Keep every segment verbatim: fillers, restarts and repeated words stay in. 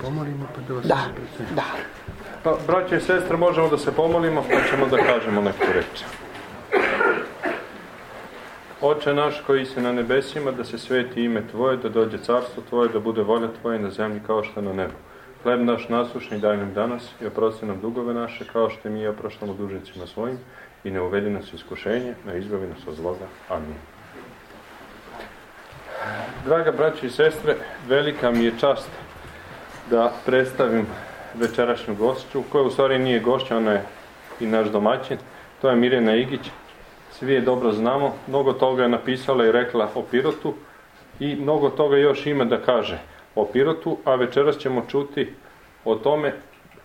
pomolimo pa da vas Da, da. Pa, braće i sestre, možemo da se pomolimo, pa ćemo da kažemo neku reč. Oče naš koji si na nebesima, da se sveti ime Tvoje, da dođe carstvo Tvoje, da bude volja Tvoja na zemlji kao što na nebu. Hleb naš nasušni daj nam danas i oprosti nam dugove naše, kao što i mi oproštamo dužnicima svojim, i ne uvedi nas u iskušenje, no izbavi nas od zloga. Amin. Draga braći i sestre, velika mi je čast da predstavim večerašnju gošću, koja u stvari nije gošća, ona je i naš domaćin. To je Mirjana Igić. Svi je dobro znamo, mnogo toga je napisala i rekla o Pirotu i mnogo toga još ima da kaže o Pirotu, a večeras ćemo čuti o tome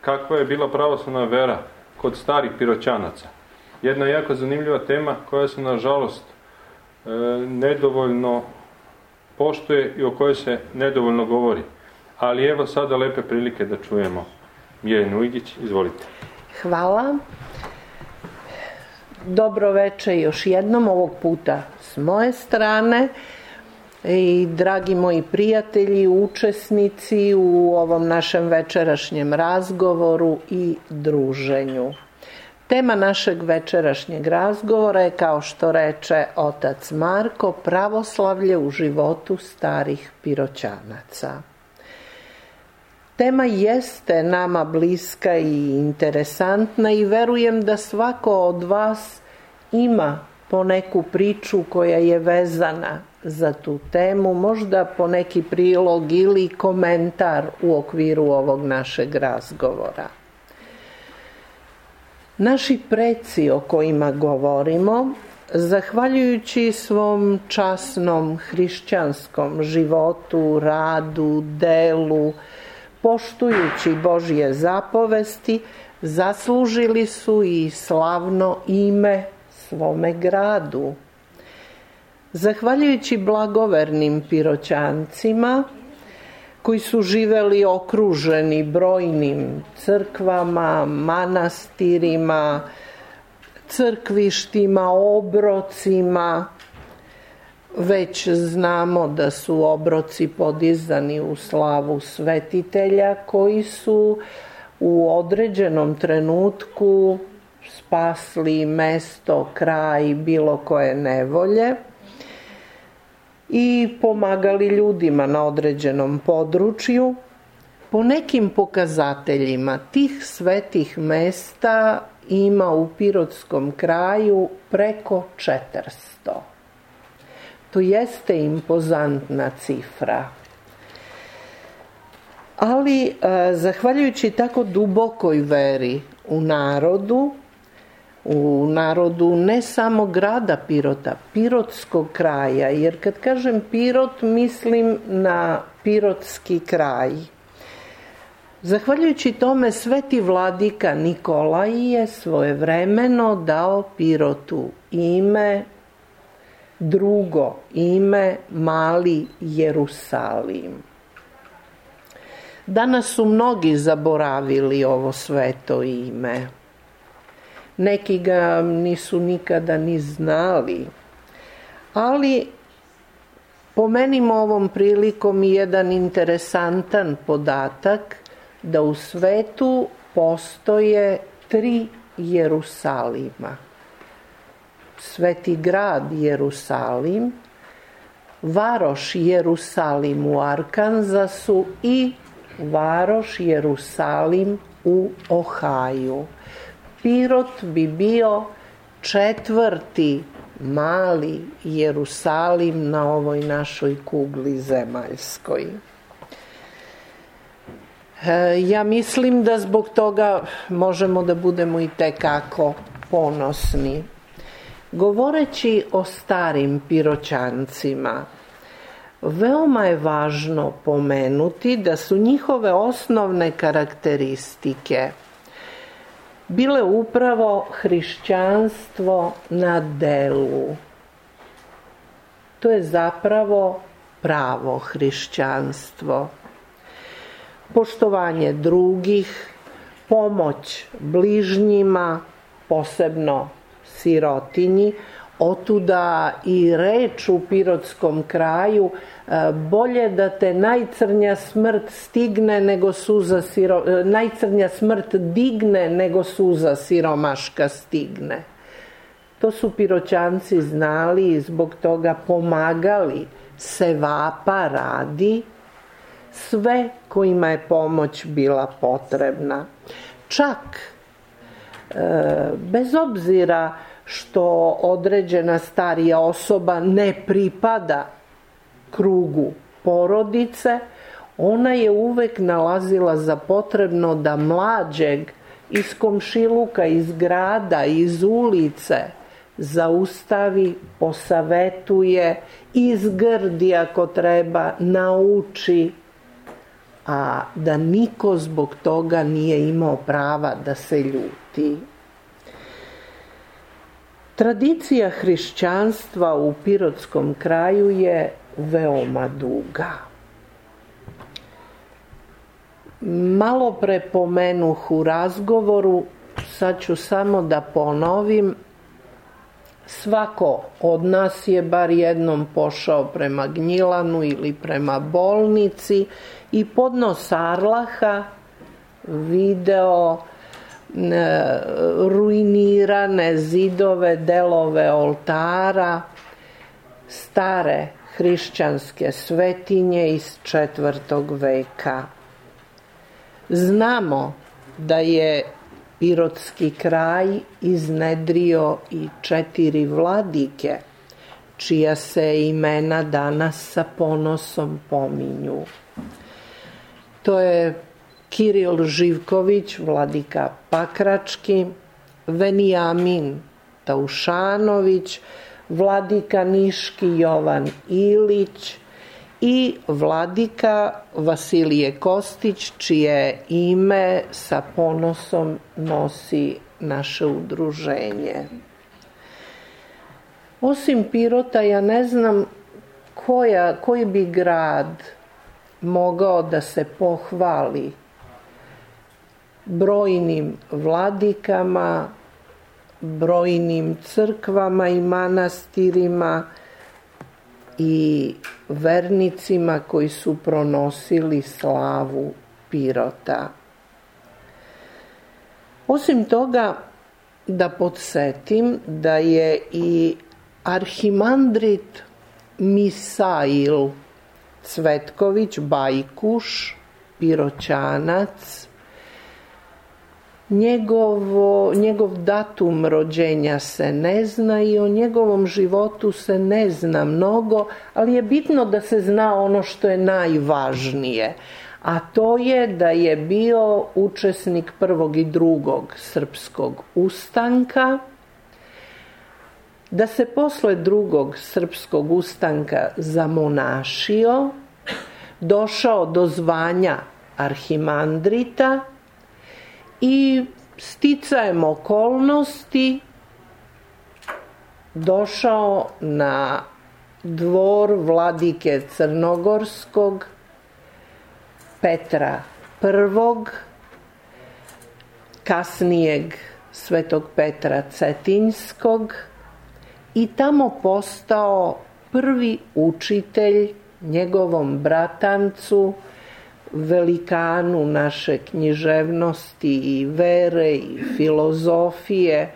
kakva je bila pravoslavna vera kod starih Piroćanaca. Jedna jako zanimljiva tema koja se nažalost e, nedovoljno poštuje i o kojoj se nedovoljno govori. Ali evo sada lepe prilike da čujemo Mirjanu Igić. Izvolite. Hvala. Dobro veče još jednom, ovog puta s moje strane. I dragi moji prijatelji, učesnici u ovom našem večerašnjem razgovoru i druženju. Tema našeg večerašnjeg razgovora je, kao što reče otac Marko, pravoslavlje u životu starih Piroćanaca. Tema jeste nama bliska i interesantna i verujem da svako od vas ima po neku priču koja je vezana za tu temu, možda po neki prilog ili komentar u okviru ovog našeg razgovora. Naši preci o kojima govorimo, zahvaljujući svom časnom hrišćanskom životu, radu, delu, poštujući Božje zapovesti, zaslužili su i slavno ime svome gradu. Zahvaljujući blagovernim Piroćancima, koji su živeli okruženi brojnim crkvama, manastirima, crkvištima, obrocima, već znamo da su obroci podizani u slavu svetitelja koji su u određenom trenutku spasli mesto, kraj, bilo koje nevolje i pomagali ljudima na određenom području. Po nekim pokazateljima tih svetih mesta ima u Pirotskom kraju preko četiristo. To jeste impozantna cifra. Ali, zahvaljujući tako dubokoj veri u narodu, u narodu ne samo grada Pirota, Pirotskog kraja, jer kad kažem Pirot mislim na Pirotski kraj. Zahvaljujući tome sveti vladika Nikolaj je svojevremeno dao Pirotu ime, drugo ime, Mali Jerusalim. Danas su mnogi zaboravili ovo sveto ime. Neki ga nisu nikada ni znali. Ali pomenimo ovom prilikom i jedan interesantan podatak da u svetu postoje tri Jerusalima. Sveti grad Jerusalim, varoš Jerusalim u Arkanzasu i varoš Jerusalim u Ohaju. Pirot bi bio četvrti mali Jerusalim na ovoj našoj kugli zemaljskoj. Ja mislim da zbog toga možemo da budemo i tekako ponosni. Govoreći o starim Piroćancima, veoma je važno pomenuti da su njihove osnovne karakteristike bile upravo hrišćanstvo na delu. To je zapravo pravo hrišćanstvo. Poštovanje drugih, pomoć bližnjima, posebno sirotinji, Otuda i reč u pirotskom kraju, bolje da te najcrnja smrt stigne nego suza siro, najcrnja smrt digne nego suza siromaška stigne. To su Piroćanci znali i zbog toga pomagali sevapa radi sve kojima je pomoć bila potrebna. Čak, bez obzira što određena starija osoba ne pripada krugu porodice, ona je uvek nalazila za potrebno da mlađeg iz komšiluka, iz grada, iz ulice zaustavi, posavetuje, izgrdi ako treba, nauči, a da niko zbog toga nije imao prava da se ljuti. Tradicija hrišćanstva u pirotskom kraju je veoma duga. Malo pre pomenuh u razgovoru, sad ću samo da ponovim, svako od nas je bar jednom pošao prema Gnjilanu ili prema bolnici i podno Sarlaha video ruinirane zidove, delove oltara, stare hrišćanske svetinje iz četvrtog veka. Znamo da je pirotski kraj iznedrio i četiri vladike, čija se imena danas sa ponosom pominju. To je Kiril Živković, vladika Pakrački, Venijamin Taušanović, vladika Niški Jovan Ilić i vladika Vasilije Kostić, čije ime sa ponosom nosi naše udruženje. Osim Pirota, ja ne znam koja, koji bi grad mogao da se pohvali brojnim vladikama, brojnim crkvama i manastirima i vernicima koji su pronosili slavu Pirota. Osim toga, da podsjetim da je i arhimandrit Misail Cvetković Bajkuš, Piroćanac, Njegovo, njegov datum rođenja se ne zna i o njegovom životu se ne zna mnogo, ali je bitno da se zna ono što je najvažnije, a to je da je bio učesnik prvog i drugog srpskog ustanka, da se posle drugog srpskog ustanka zamonašio, došao do zvanja arhimandrita i sticajem okolnosti došao na dvor vladike Crnogorskog Petra I, kasnijeg svetog Petra Cetinjskog, i tamo postao prvi učitelj njegovom bratancu, velikanu naše književnosti i vere i filozofije,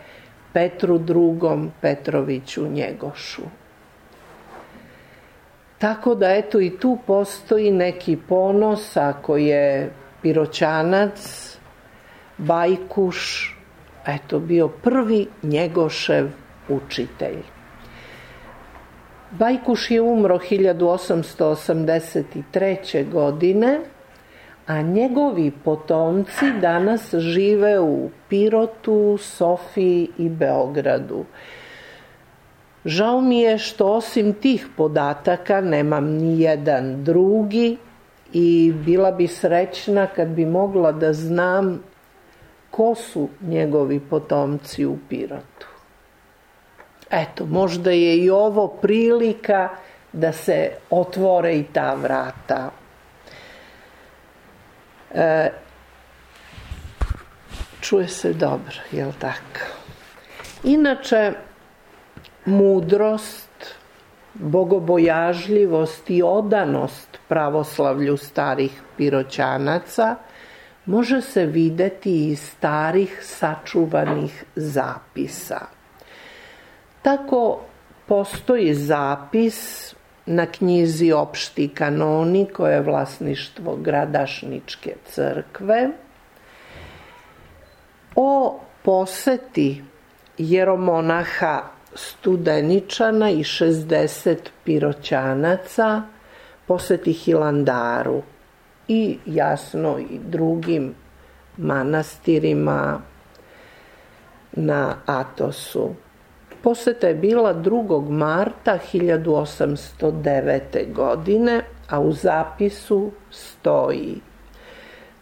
Petru drugom Petroviću Njegošu. Tako da eto i tu postoji neki ponos ako je Piroćanac, Bajkuš, eto bio prvi Njegošev učitelj. Bajkuš je umro hiljadu osamsto osamdeset treće. godine, a njegovi potomci danas žive u Pirotu, Sofiji i Beogradu. Žao mi je što osim tih podataka nemam ni jedan drugi i bila bi srećna kad bi mogla da znam ko su njegovi potomci u Pirotu. Eto, možda je i ovo prilika da se otvore i ta vrata. E, čuje se dobro, jel tako? Inače, mudrost, bogobojažljivost i odanost pravoslavlju starih Piroćanaca može se videti iz starih sačuvanih zapisa. Tako postoji zapis na knjizi Opšti kanoni, koje je vlasništvo Gradašničke crkve, o poseti jeromonaha Studeničana i šezdeset Piroćanaca, poseti Hilandaru i jasno i drugim manastirima na Atosu. Poseta je bila drugog marta hiljadu osamsto devete. godine, a u zapisu stoji,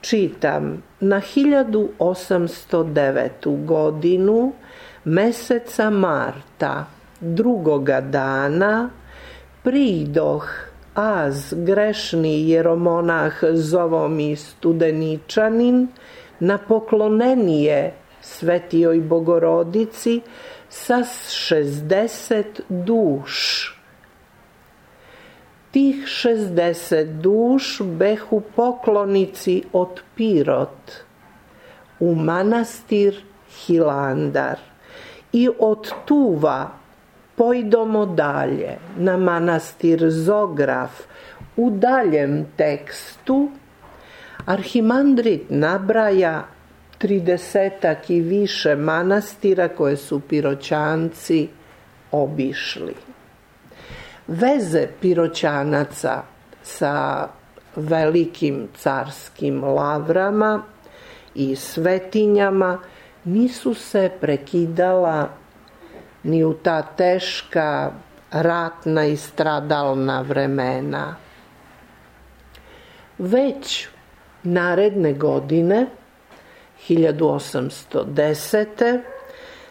čitam, na hiljadu osamsto devetu. godinu, meseca marta, drugoga dana, pridoh az grešni jeromonah zovomi Studeničanin na poklonenije Svetijoj Bogorodici sa šezdeset duš. Tih šezdeset duš behu poklonici od Pirot u manastir Hilandar i od tuva pojdomo dalje na manastir Zograf. U daljem tekstu arhimandrit nabraja tridesetak i više manastira koje su Piroćanci obišli. Veze Piroćanaca sa velikim carskim lavrama i svetinjama nisu se prekidala ni u ta teška ratna i stradalna vremena. Već naredne godine, hiljadu osamsto desete.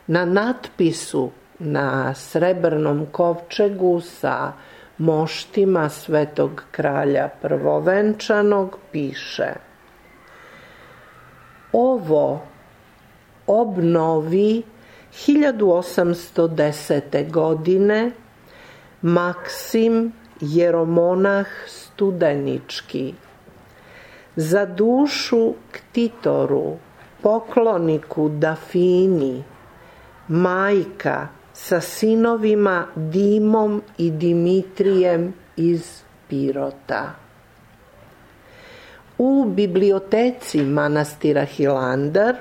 na natpisu na srebrnom kovčegu sa moštima Svetog kralja prvovenčanog piše: ovo obnovi hiljadu osamsto desete. godine Maksim jeromonah Studenički, za dušu ktitoru, pokloniku Dafini, majka sa sinovima Dimom i Dimitrijem iz Pirota. U biblioteci manastira Hilandar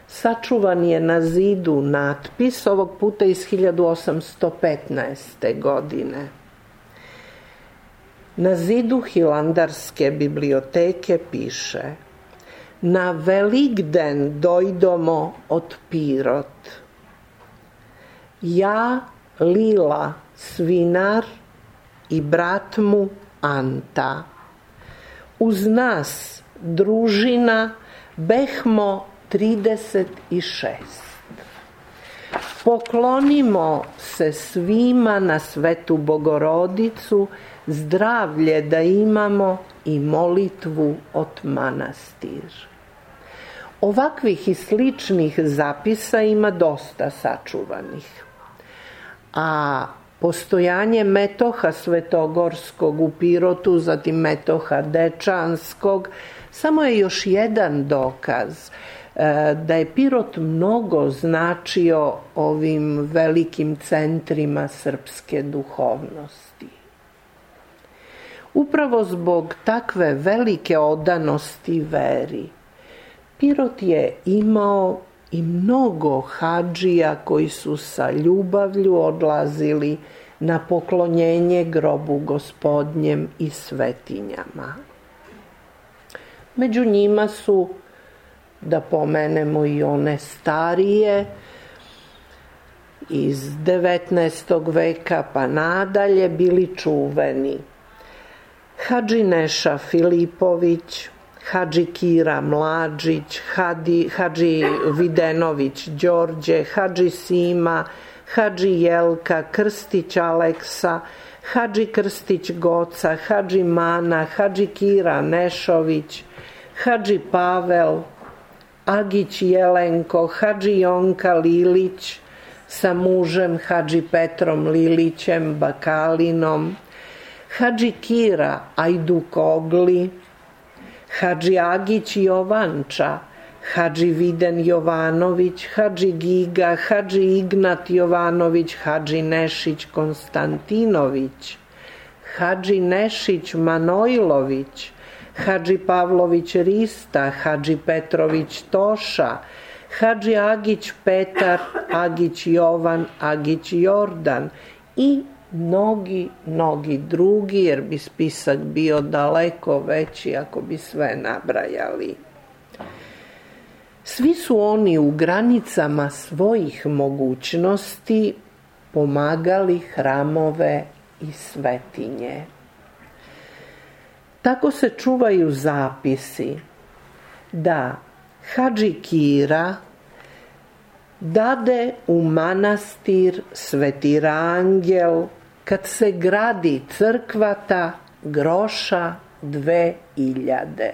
sačuvan je na zidu natpis, ovog puta iz hiljadu osamsto petnaeste. godine. Na zidu Hilandarske biblioteke piše: na Velikden dojdomo od Pirot. Ja, Lila, svinar i brat mu Anta. Uz nas družina behmo trideset šest. Poklonimo se svima na Svetu Bogorodicu, zdravlje da imamo i molitvu od manastir. Ovakvih i sličnih zapisa ima dosta sačuvanih. A postojanje metoha svetogorskog u Pirotu, zatim metoha dečanskog, samo je još jedan dokaz da je Pirot mnogo značio ovim velikim centrima srpske duhovnosti. Upravo zbog takve velike odanosti veri, Pirot je imao i mnogo hadžija koji su sa ljubavlju odlazili na poklonjenje grobu Gospodnjem i svetinjama. Među njima su, da pomenemo i one starije, iz devetnaestog veka pa nadalje bili čuveni Hadži Neša Filipović, Hadži Kira Mlađić, Hadži, Hadži Videnović Đorđe, Hadži Sima, Hadži Jelka, Krstić Aleksa, Hadži Krstić Goca, Hadži Mana, Hadži Kira Nešović, Hadži Pavel, Agić Jelenko, Hadži Jonka Lilić, sa mužem Hadži Petrom Lilićem Bakalinom, Hadži Kira Ajdukogli, Hadži Agić Jovanča, Hadži Viden Jovanović, Hadži Giga, Hadži Ignat Jovanović, Hadži Nešić Konstantinović, Hadži Nešić Manojlović, Hadži Pavlović Rista, Hadži Petrović Toša, Hadži Agić Petar, Agić Jovan, Agić Jordan i mnogi, mnogi drugi, jer bi spisak bio daleko veći ako bi sve nabrajali. Svi su oni u granicama svojih mogućnosti pomagali hramove i svetinje. Tako se čuvaju zapisi da Hadži Kira dade u manastir Sveti Rangel, kad se gradi crkvata, groša dve iljade.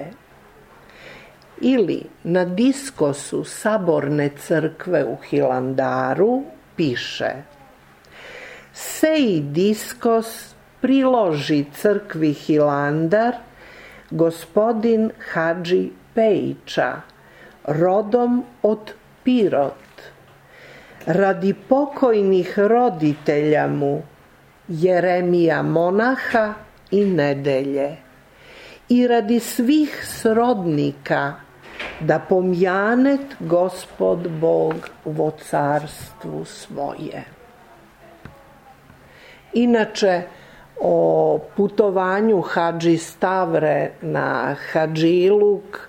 Ili na diskosu Saborne crkve u Hilandaru piše: Seji diskos priloži crkvi Hilandar gospodin Hadži Pejića, rodom od Pirot, radi pokojnih roditelja mu Jeremija monaha i Nedelje, i radi svih srodnika, da pomjanet Gospod Bog vo carstvu svoje. Inače, o putovanju Hadži Stavre na Hadžiluk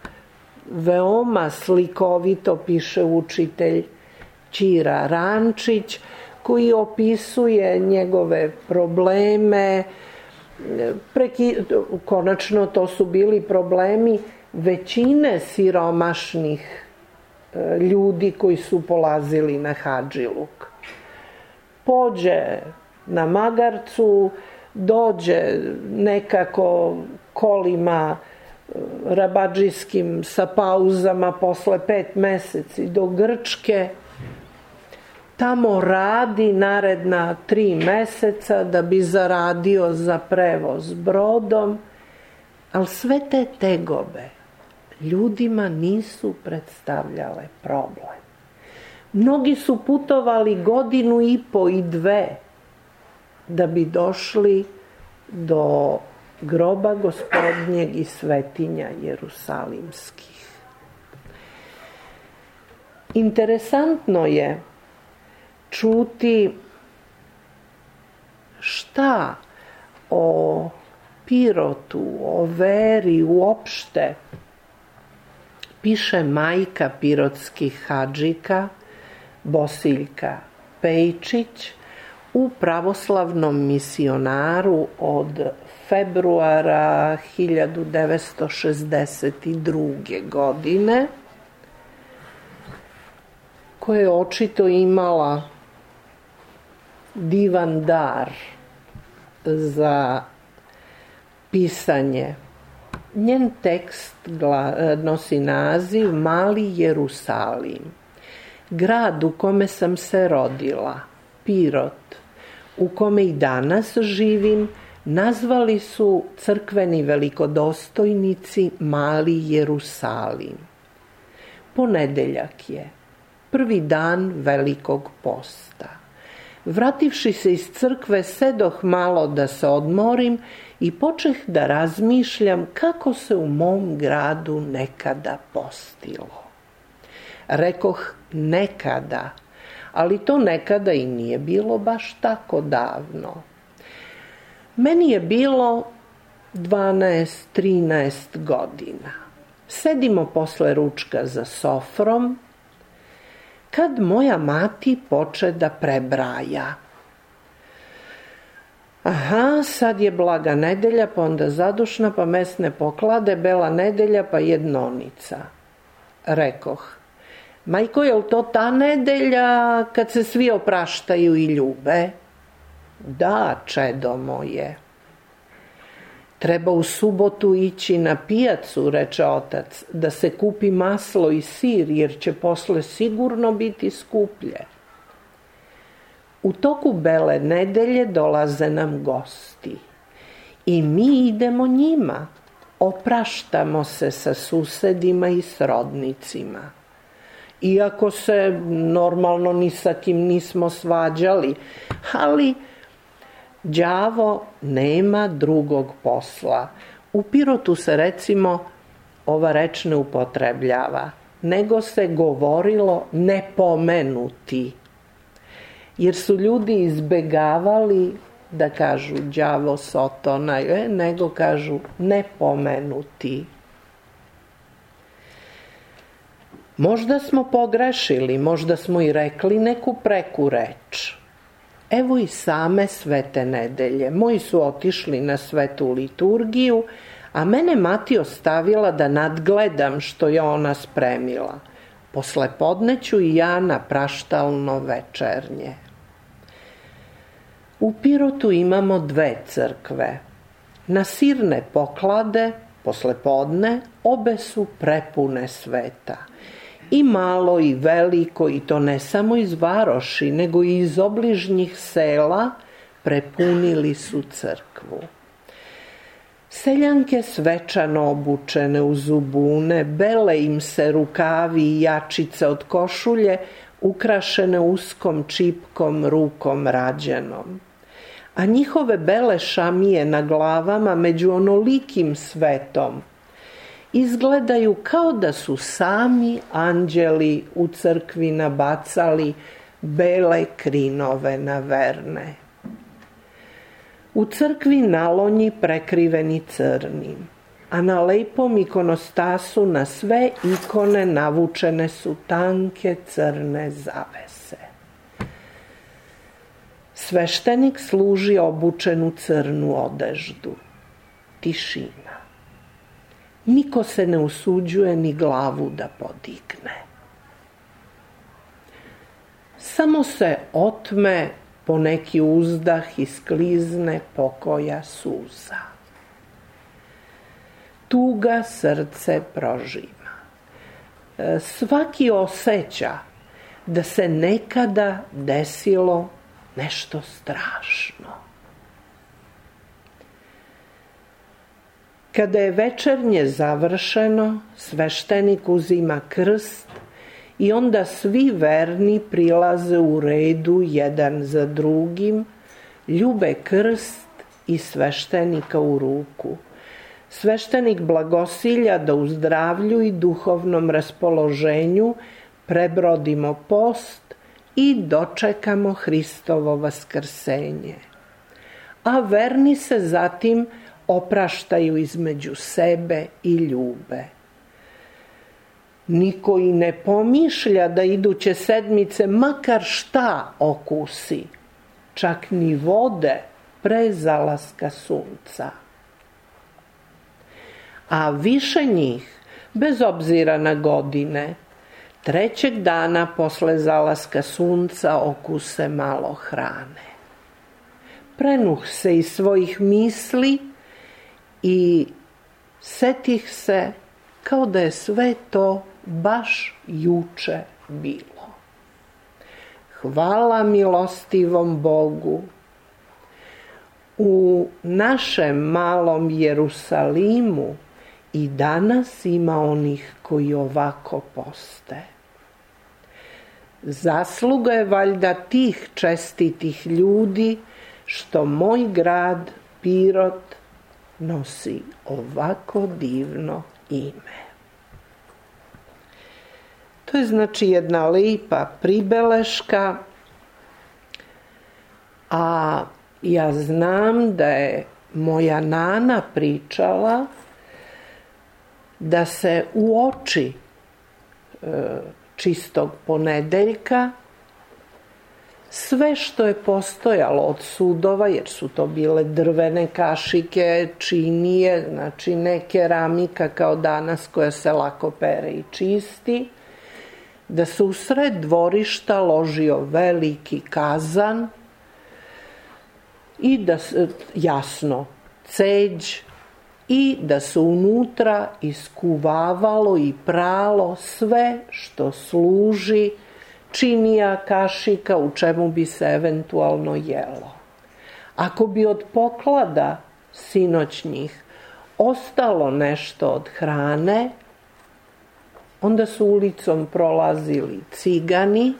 veoma slikovito piše učitelj Ćira Rančić, koji opisuje njegove probleme. Preki... Konačno, to su bili problemi većine siromašnih ljudi koji su polazili na Hadžiluk. Pođe na magarcu, dođe nekako kolima rabadžijskim sa pauzama posle pet meseci do Grčke, tamo radi naredna tri meseca da bi zaradio za prevoz brodom, ali sve te tegobe ljudima nisu predstavljale problem. Mnogi su putovali godinu i po i dve da bi došli do groba Gospodnjeg i svetinja jerusalimskih. Interesantno je čuti šta o Pirotu, o veri uopšte piše majka pirotskih hadžika Bosiljka Pejčić u Pravoslavnom misionaru od februara hiljadu devetsto šezdeset druge. godine, koja je očito imala divan dar za pisanje. Njen tekst nosi naziv Mali Jerusalim. Grad u kome sam se rodila, Pirot, u kome i danas živim, nazvali su crkveni velikodostojnici Mali Jerusalim. Ponedeljak je, prvi dan Velikog posta. Vrativši se iz crkve, sedoh malo da se odmorim i počeh da razmišljam kako se u mom gradu nekada postilo. Rekoh nekada, ali to nekada i nije bilo baš tako davno. Meni je bilo dvanaest trinaest godina. Sedimo posle ručka za sofrom, kad moja mati poče da prebraja. Aha, sad je blaga nedelja, pa onda zadušna, pa mesne poklade, bela nedelja, pa jednonica. Rekoh: majko, je li to ta nedelja kad se svi opraštaju i ljube? Da, čedo moje. Treba u subotu ići na pijacu, reče otac, da se kupi maslo i sir, jer će posle sigurno biti skuplje. U toku Bele nedelje dolaze nam gosti i mi idemo njima. Opraštamo se sa susedima i srodnicima. Iako se normalno ni sa kim nismo svađali, ali đavo nema drugog posla. U Pirotu se recimo ova reč ne upotrebljava, nego se govorilo nepomenuti. Jer su ljudi izbegavali da kažu đavo sotona, nego kažu nepomenuti. Možda smo pogrešili, možda smo i rekli neku preku reč. Evo i same svete nedelje. Moji su otišli na svetu liturgiju, a mene mati ostavila da nadgledam što je ona spremila. Posle podne ću i ja na praštalno večernje. U Pirotu imamo dve crkve. Na sirne poklade, posle podne, obe su prepune sveta. I malo i veliko, i to ne samo iz varoši, nego i iz obližnjih sela, prepunili su crkvu. Seljanke svečano obučene u zubune, bele im se rukavi i jačice od košulje, ukrašene uskom čipkom rukom rađenom. A njihove bele šamije na glavama među onolikim svetom izgledaju kao da su sami anđeli u crkvi nabacali bele krinove na verne. U crkvi nalonji prekriveni crnim, a na lepom ikonostasu na sve ikone navučene su tanke crne zavese. Sveštenik služi obučen u crnu odeždu. Tišina. Niko se ne usuđuje ni glavu da podigne. Samo se otme po neki uzdah i sklizne pokoja suza. Tuga srce prožima. Svaki osjeća da se nekada desilo nešto strašno. Kada je večernje završeno, sveštenik uzima krst i onda svi verni prilaze u redu jedan za drugim, ljube krst i sveštenika u ruku. Sveštenik blagosilja da u zdravlju i duhovnom raspoloženju prebrodimo post i dočekamo Hristovo vaskrsenje. A verni se zatim opraštaju između sebe i ljube. Niko i ne pomišlja da iduće sedmice makar šta okusi, čak ni vode pre zalaska sunca. A više njih, bez obzira na godine, trećeg dana posle zalaska sunca okuse malo hrane. Prenuh se iz svojih misli i setih se kao da je sve to baš juče bilo. Hvala milostivom Bogu. U našem malom Jerusalimu i danas ima onih koji ovako poste. Zasluga je valjda tih čestitih ljudi što moj grad Pirot nosi ovako divno ime. To je znači jedna lipa pribeleška, a ja znam da je moja nana pričala da se uoči e, čistog ponedeljka sve što je postojalo od sudova, jer su to bile drvene kašike, činije, znači ne keramika kao danas koja se lako pere i čisti, da se u sred dvorišta ložio veliki kazan i da se, jasno, ceđ, i da se unutra iskuvavalo i pralo sve što služi činija, kašika, u čemu bi se eventualno jelo. Ako bi od poklada sinoćnjih ostalo nešto od hrane, onda su ulicom prolazili cigani,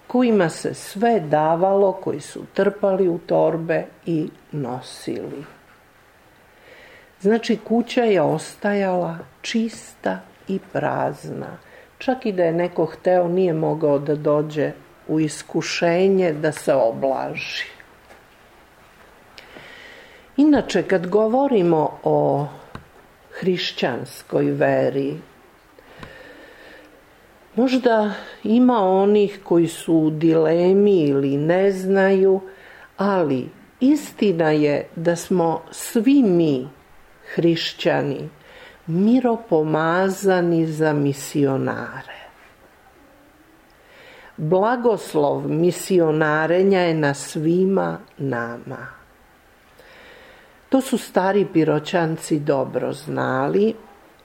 kojima se sve davalo, koji su trpali u torbe i nosili. Znači, kuća je ostajala čista i prazna. Čak i da je neko hteo, nije mogao da dođe u iskušenje da se oblaži. Inače, kad govorimo o hrišćanskoj veri, možda ima onih koji su u dilemi ili ne znaju, ali istina je da smo svi mi, hrišćani, miropomazani za misionare. Blagoslov misionarenja je na svima nama. To su stari Piroćanci dobro znali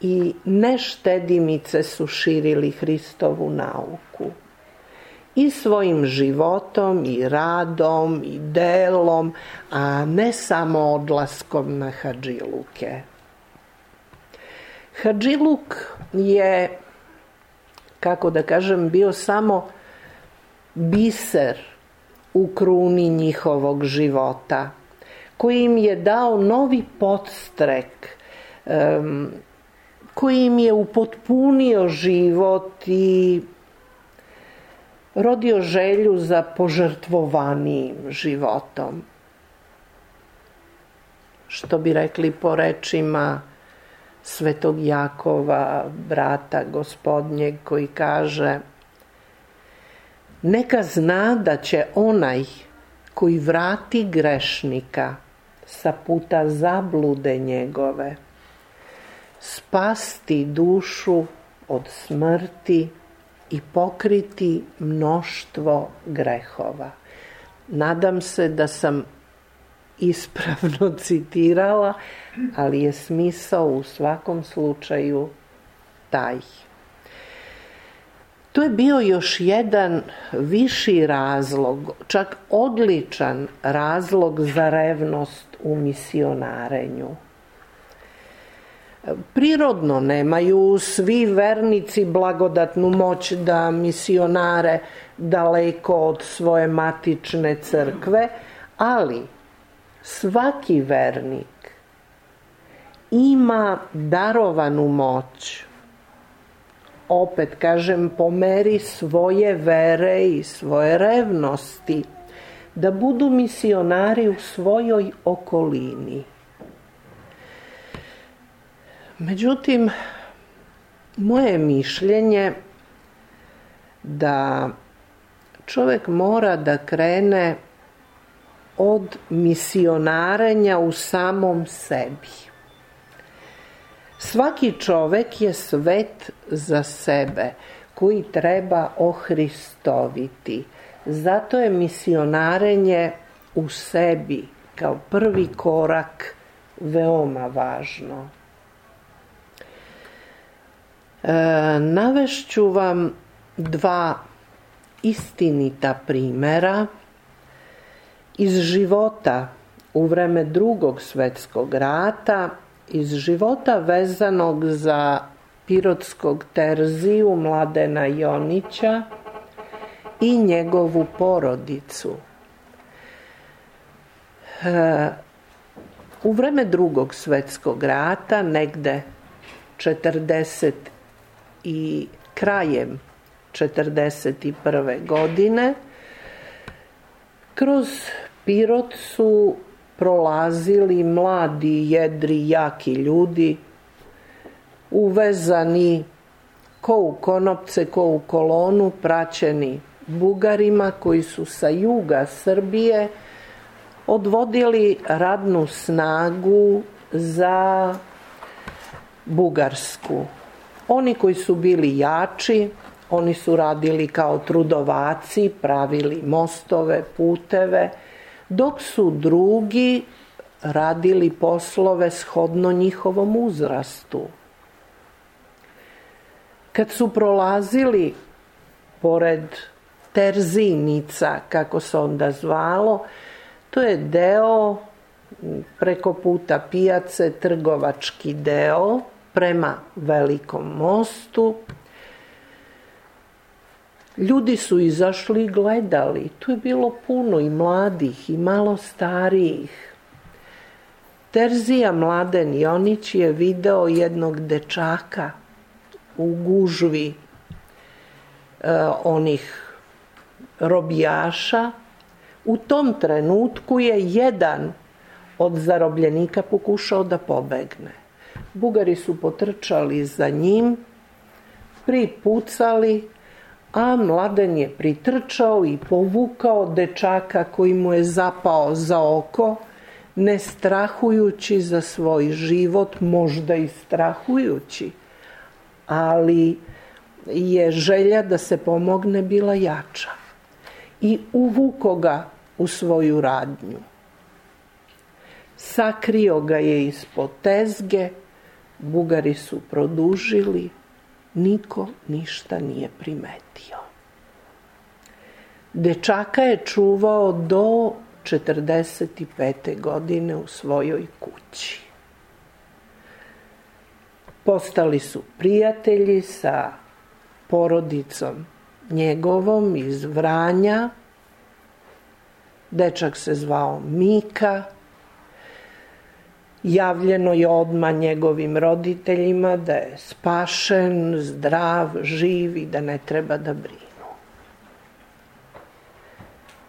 i neštedimice su širili Hristovu nauku. I svojim životom, i radom, i delom, a ne samo odlaskom na hadžiluke. Hadžiluk je, kako da kažem, bio samo biser u kruni njihovog života, koji im je dao novi podstrek, um, koji im je upotpunio život i rodio želju za požrtvovanijim životom. Što bi rekli po rečima Svetog Jakova, brata Gospodnjeg, koji kaže: neka zna da će onaj koji vrati grešnika sa puta zablude njegove spasti dušu od smrti i pokriti mnoštvo grehova. Nadam se da sam ispravno citirala, ali je smisao u svakom slučaju taj. To je bio još jedan viši razlog, čak odličan razlog za revnost u misionarenju. Prirodno nemaju svi vernici blagodatnu moć da misionare daleko od svoje matične crkve, ali svaki vernik ima darovanu moć, opet kažem, po meri svoje vere i svoje revnosti, da budu misionari u svojoj okolini. Međutim, moje mišljenje da čovjek mora da krene od misionarenja u samom sebi. Svaki čovjek je svet za sebe koji treba ohristoviti. Zato je misionarenje u sebi kao prvi korak veoma važno. E, navešću vam dva istinita primjera iz života u vreme Drugog svjetskog rata, iz života vezanog za pirotskog Terziju Mladena Jonića i njegovu porodicu. E, u vreme Drugog svjetskog rata, negde četrdeset i krajem četrdeset prve godine, kroz Pirot su prolazili mladi, jedri, jaki ljudi, uvezani ko u konopce, ko u kolonu, praćeni Bugarima koji su sa juga Srbije odvodili radnu snagu za Bugarsku. Oni koji su bili jači, oni su radili kao trudovaci, pravili mostove, puteve, dok su drugi radili poslove shodno njihovom uzrastu. Kad su prolazili pored Terzinica, kako se onda zvalo. To je deo preko puta pijace, trgovački deo prema Velikom mostu. Ljudi su izašli i gledali. Tu je bilo puno i mladih i malo starijih. Terzija Mladen Jonić je video jednog dečaka u gužvi e, onih robijaša. U tom trenutku je jedan od zarobljenika pokušao da pobegne. Bugari su potrčali za njim, pripucali, a Mladen je pritrčao i povukao dečaka koji mu je zapao za oko, ne strahujući za svoj život, možda i strahujući, ali je želja da se pomogne bila jača. I uvuko ga u svoju radnju. Sakrio ga je ispod tezge, Bugari su produžili, niko ništa nije primetio. Dečaka je čuvao do četrdeset pete godine u svojoj kući. Postali su prijatelji sa porodicom njegovom iz Vranja. Dečak se zvao Mika. Javljeno je odmah njegovim roditeljima da je spašen, zdrav, živ i da ne treba da brinu.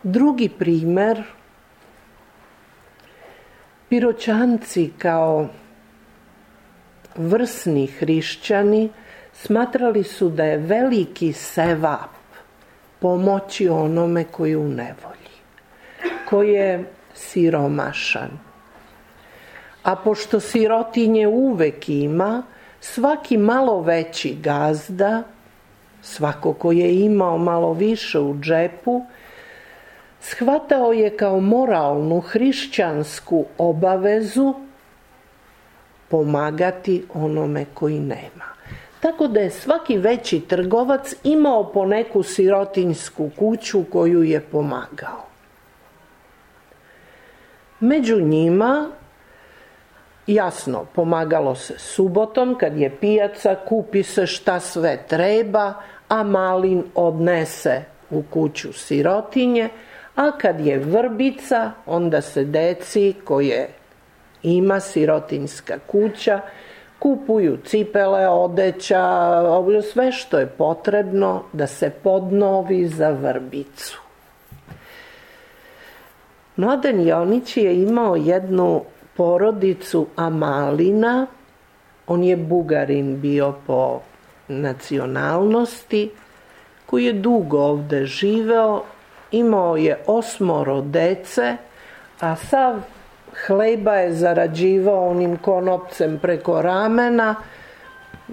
Drugi primer, Piroćanci kao vrsni hrišćani smatrali su da je veliki sevap pomoći onome koji je u nevolji, koji je siromašan. A pošto sirotinje uvek ima, svaki malo veći gazda, svako ko je imao malo više u džepu, shvatao je kao moralnu hrišćansku obavezu pomagati onome koji nema. Tako da je svaki veći trgovac imao po neku sirotinjsku kuću koju je pomagao. Među njima, jasno, pomagalo se subotom, kad je pijaca, kupi se šta sve treba, a malin odnese u kuću sirotinje, a kad je vrbica, onda se deci koje ima sirotinjska kuća kupuju cipele, odeća, sve što je potrebno da se podnovi za vrbicu. Mladen Jonić je imao jednu porodicu Amalina, on je Bugarin bio po nacionalnosti, koji je dugo ovde živeo, imao je osmoro dece, a sav hleba je zarađivao onim konopcem preko ramena,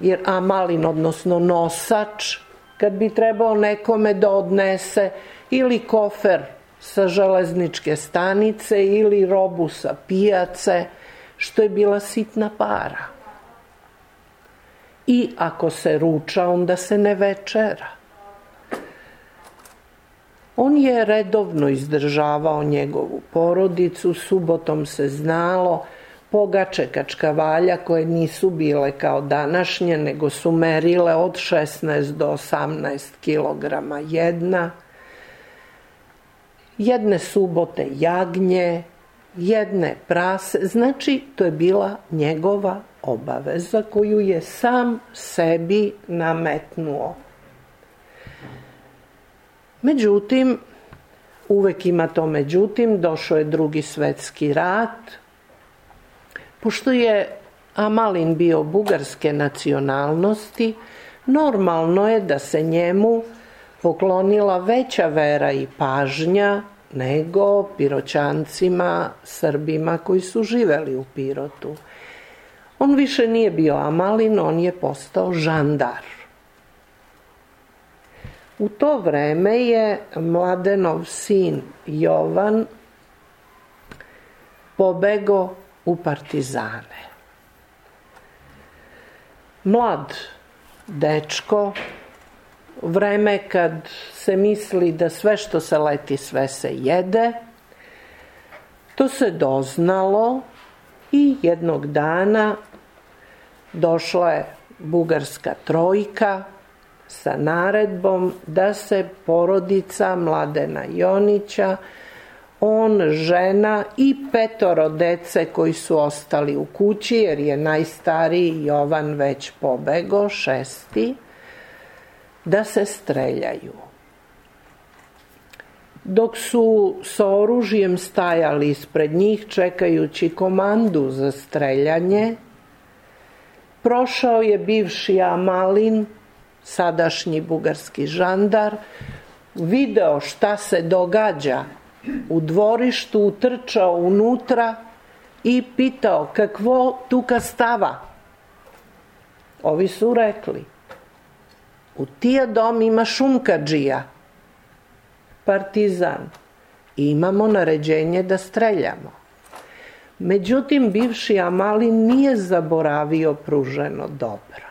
jer Amalin, odnosno nosač, kad bi trebao nekome da odnese ili kofer sa železničke stanice ili robu sa pijace, što je bila sitna para. I ako se ruča, onda se ne večera. On je redovno izdržavao njegovu porodicu, subotom se znalo, pogače kačkavalja koje nisu bile kao današnje, nego su merile od šesnaest do osamnaest kilograma jedna. Jedne subote jagnje, jedne prase, znači to je bila njegova obaveza koju je sam sebi nametnuo. Međutim, uvek ima to međutim, došao je Drugi svetski rat. Pošto je Amalin bio bugarske nacionalnosti, normalno je da se njemu poklonila veća vera i pažnja nego Piroćancima, Srbima koji su živeli u Pirotu. On više nije bio Amalin, on je postao žandar. U to vreme je Mladenov sin Jovan pobegao u partizane. Mlad dečko, vreme kad se misli da sve što se leti, sve se jede. To se doznalo i jednog dana došla je bugarska trojka sa naredbom da se porodica Mladena Jonića, on, žena i petoro dece koji su ostali u kući, jer je najstariji Jovan već pobego, šesti, da se streljaju. Dok su sa oružjem stajali ispred njih čekajući komandu za streljanje, prošao je bivši Amalin, sadašnji bugarski žandar, video šta se događa u dvorištu, utrčao unutra i pitao kakvo tuka stava. Ovi su rekli, u tija dom ima šumkadžija, partizan, i imamo naređenje da streljamo. Međutim, bivši Amalin nije zaboravio pruženo dobro.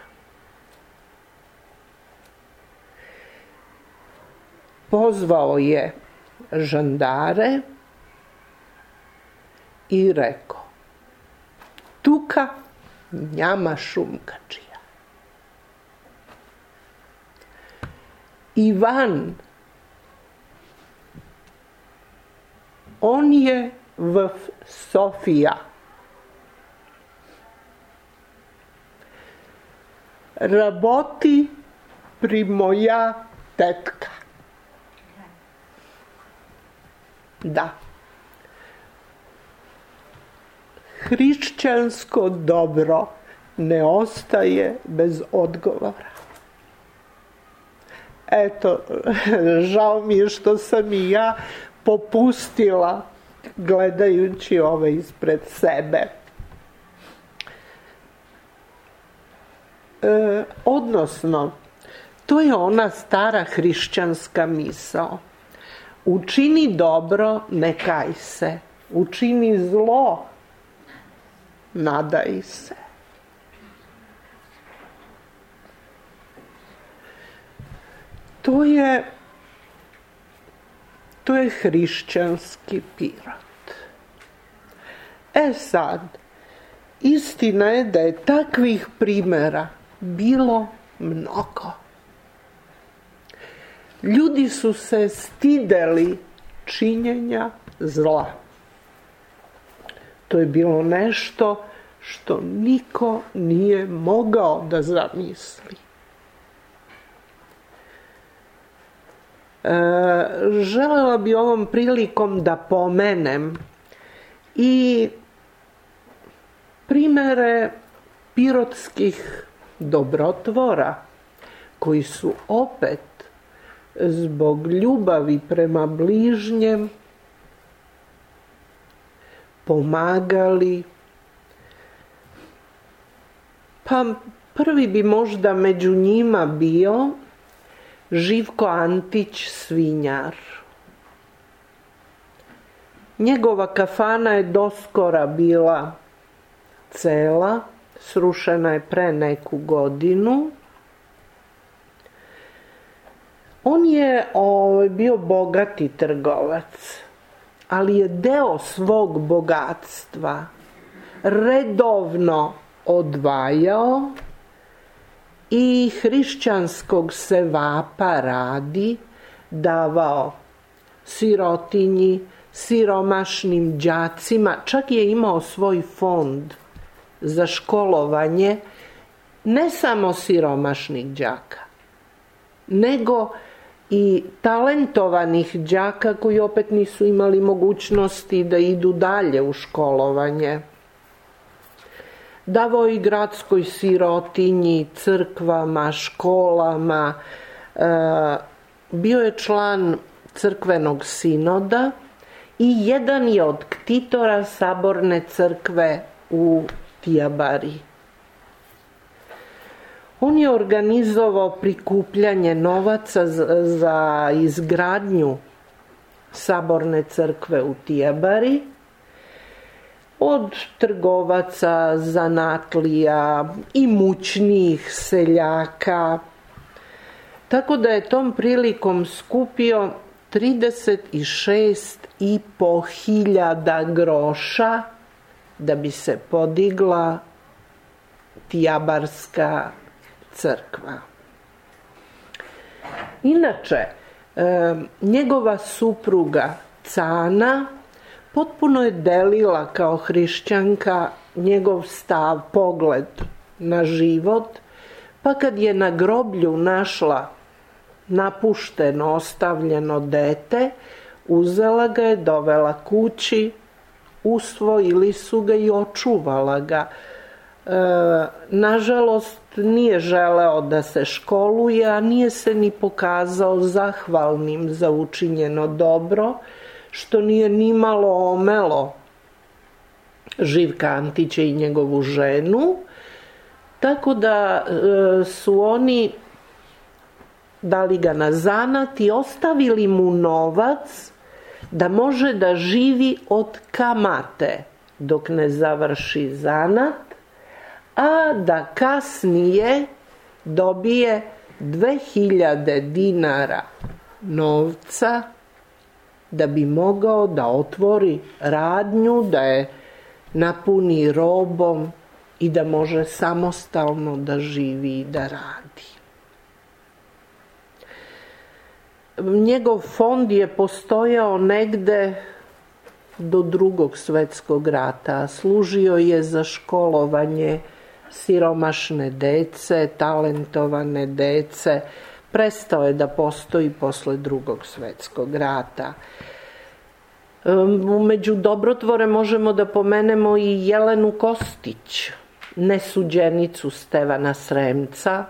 Pozvao je žandare i rekao, tuka njama šumkadžija. Ivan, on je v Sofija. Raboti pri moja tetka. Da. Hrišćansko dobro ne ostaje bez odgovora. Eto, žao mi je što sam i ja popustila gledajući ove ispred sebe. E, odnosno, to je ona stara hrišćanska misao. Učini dobro, ne kaj se. Učini zlo, nadaj se. To je, to je hrišćanski Pirot. E sad, istina je da je takvih primjera bilo mnogo. Ljudi su se stideli činjenja zla. To je bilo nešto što niko nije mogao da zamisli. E, želela bi ovom prilikom da pomenem i primere pirotskih dobrotvora koji su opet zbog ljubavi prema bližnjem pomagali. Pa prvi bi možda među njima bio Živko Antić Svinjar. Njegova kafana je doskora bila cela, srušena je pre neku godinu. On je o, bio bogati trgovac, ali je deo svog bogatstva redovno odvajao i hrišćanskog sevapa radi davao sirotinji, siromašnim đacima, čak je imao svoj fond za školovanje ne samo siromašnih đaka, nego i talentovanih đaka koji opet nisu imali mogućnosti da idu dalje u školovanje. Davao i gradskoj sirotinji, crkvama, školama. E, bio je član crkvenog sinoda i jedan je od ktitora saborne crkve u Tijabari. On je organizovao prikupljanje novaca za izgradnju saborne crkve u Tijabari od trgovaca, zanatlija, imućnijih seljaka. Tako da je tom prilikom skupio trideset šest i po hiljada groša da bi se podigla Tijabarska crkva. Inače, e, njegova supruga Cana potpuno je delila kao hrišćanka njegov stav, pogled na život, pa kad je na groblju našla napušteno, ostavljeno dete, uzela ga je, dovela kući, usvojili su ga i očuvala ga. E, nažalost, nije želeo da se školuje, a nije se ni pokazao zahvalnim za učinjeno dobro, što nije ni malo omelo Živka Antića i njegovu ženu, tako da e, su oni dali ga na zanat i ostavili mu novac da može da živi od kamate dok ne završi zanat, a da kasnije dobije dve hiljade dinara novca da bi mogao da otvori radnju, da je napuni robom i da može samostalno da živi i da radi. Njegov fond je postojao negde do Drugog svetskog rata. Služio je za školovanje siromašne dece, talentovane dece. Prestao je da postoji posle Drugog svetskog rata. Među dobrotvore možemo da pomenemo i Jelenu Kostić, nesuđenicu Stevana Sremca,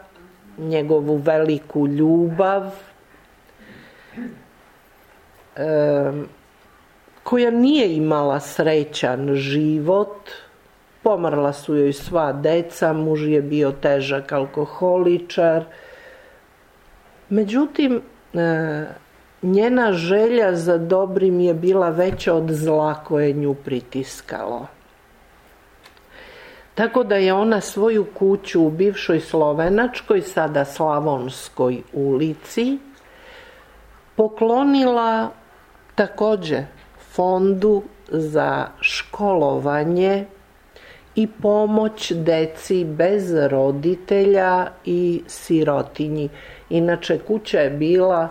njegovu veliku ljubav, e, koja nije imala srećan život. Pomrla su joj sva deca, muž je bio težak alkoholičar. Međutim, e, njena želja za dobrim je bila veća od zla koje nju pritiskalo. Tako da je ona svoju kuću u bivšoj Slovenačkoj, sada Slavonskoj ulici, poklonila takođe fondu za školovanje i pomoć deci bez roditelja i sirotinji. Inače, kuća je bila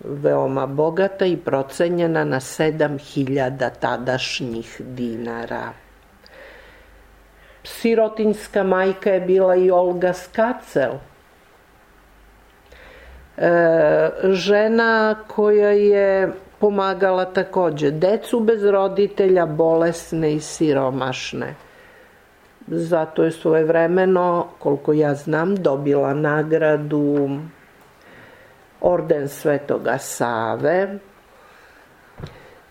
veoma bogata i procenjena na sedam hiljada tadašnjih dinara. Sirotinjska majka je bila i Olga Skacel, e, žena koja je pomagala takođe decu bez roditelja, bolesne i siromašne. Zato je svojevremeno, koliko ja znam, dobila nagradu Orden Svetoga Save.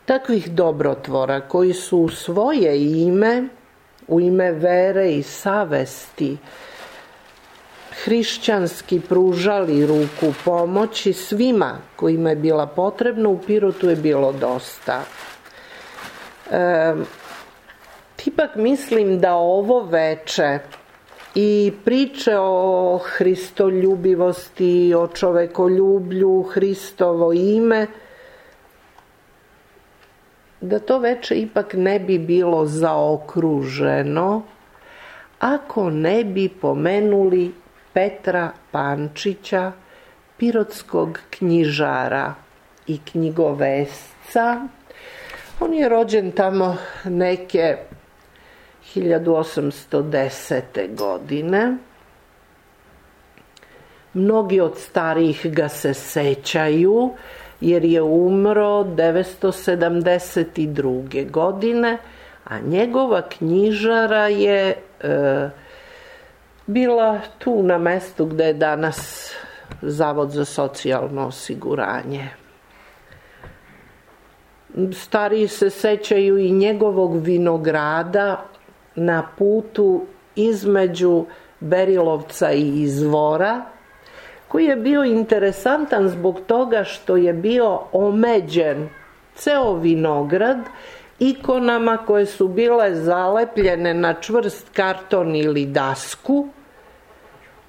Takvih dobrotvora koji su u svoje ime, u ime vere i savesti, hrišćanski pružali ruku pomoći svima kojima je bila potrebna, u Pirotu je bilo dosta. E, ipak mislim da ovo veče i priče o hristoljubivosti, o čovekoljublju, Hristovo ime, da to veče ipak ne bi bilo zaokruženo ako ne bi pomenuli Petra Pančića, pirotskog knjižara i knjigovesca. On je rođen tamo neke hiljadu osamsto desete. godine. Mnogi od starijih ga se sećaju, jer je umro devetsto sedamdeset druge. godine, a njegova knjižara je e, bila tu na mestu gde je danas Zavod za socijalno osiguranje. Stariji se sećaju i njegovog vinograda na putu između Berilovca i Izvora, koji je bio interesantan zbog toga što je bio omeđen ceo vinograd ikonama koje su bile zalepljene na čvrst karton ili dasku,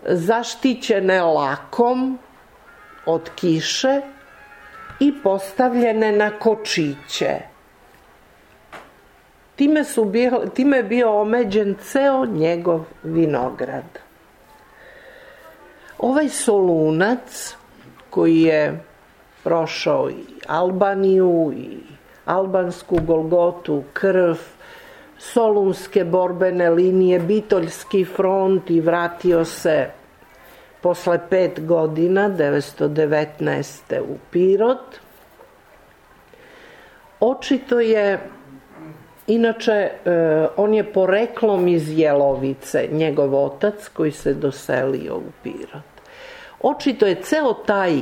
zaštićene lakom od kiše i postavljene na kočiće. Time, su bio, time je bio omeđen ceo njegov vinograd. Ovaj Solunac, koji je prošao i Albaniju i albansku Golgotu, krv, solunske borbene linije, Bitoljski front i vratio se posle pet godina, devetsto devetnaeste. u Pirot. Očito je, inače, on je poreklom iz Jelovice, njegov otac koji se doselio u Pirot. Očito je ceo taj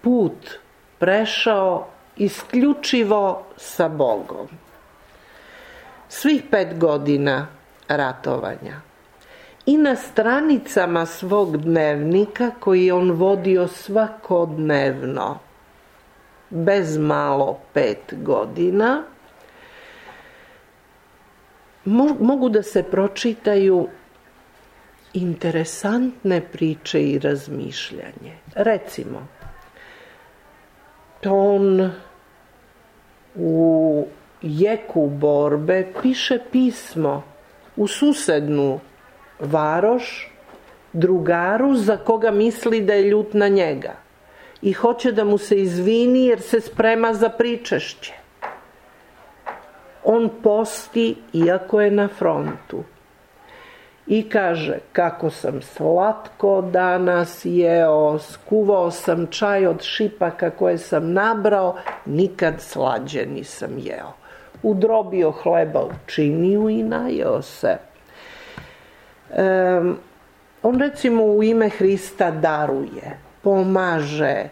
put prešao isključivo sa Bogom. Svih pet godina ratovanja. I na stranicama svog dnevnika, koji je on vodio svakodnevno, bez malo pet godina, mogu da se pročitaju interesantne priče i razmišljanje. Recimo, on u jeku borbe piše pismo u susednu varoš drugaru za koga misli da je ljut na njega i hoće da mu se izvini jer se sprema za pričešće. On posti iako je na frontu i kaže: kako sam slatko danas jeo, skuvao sam čaj od šipaka koje sam nabrao, nikad slađe nisam jeo. Udrobio hleba u činiju i najeo se. Um, on recimo u ime Hrista daruje, pomaže,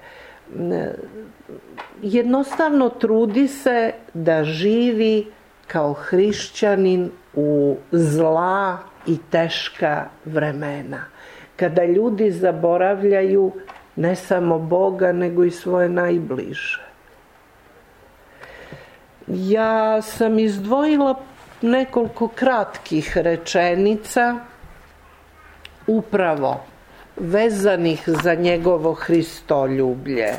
jednostavno trudi se da živi kao hrišćanin u zla i teška vremena, kada ljudi zaboravljaju ne samo Boga, nego i svoje najbliže. Ja sam izdvojila nekoliko kratkih rečenica upravo vezanih za njegovo Hristoljublje.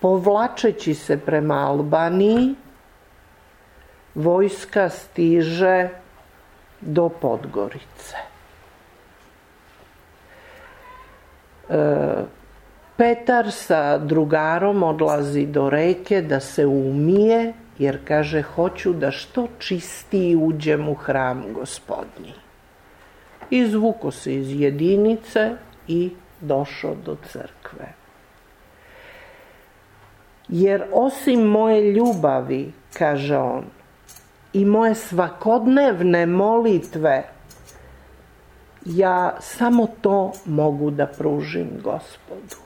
Povlačeći se prema Albaniji, vojska stiže do Podgorice. E, Petar sa drugarom odlazi do reke da se umije, jer kaže: hoću da što čistiji uđem u hram Gospodnji. Izvuko se iz jedinice i došao do crkve. Jer osim moje ljubavi, kaže on, i moje svakodnevne molitve, ja samo to mogu da pružim Gospodu.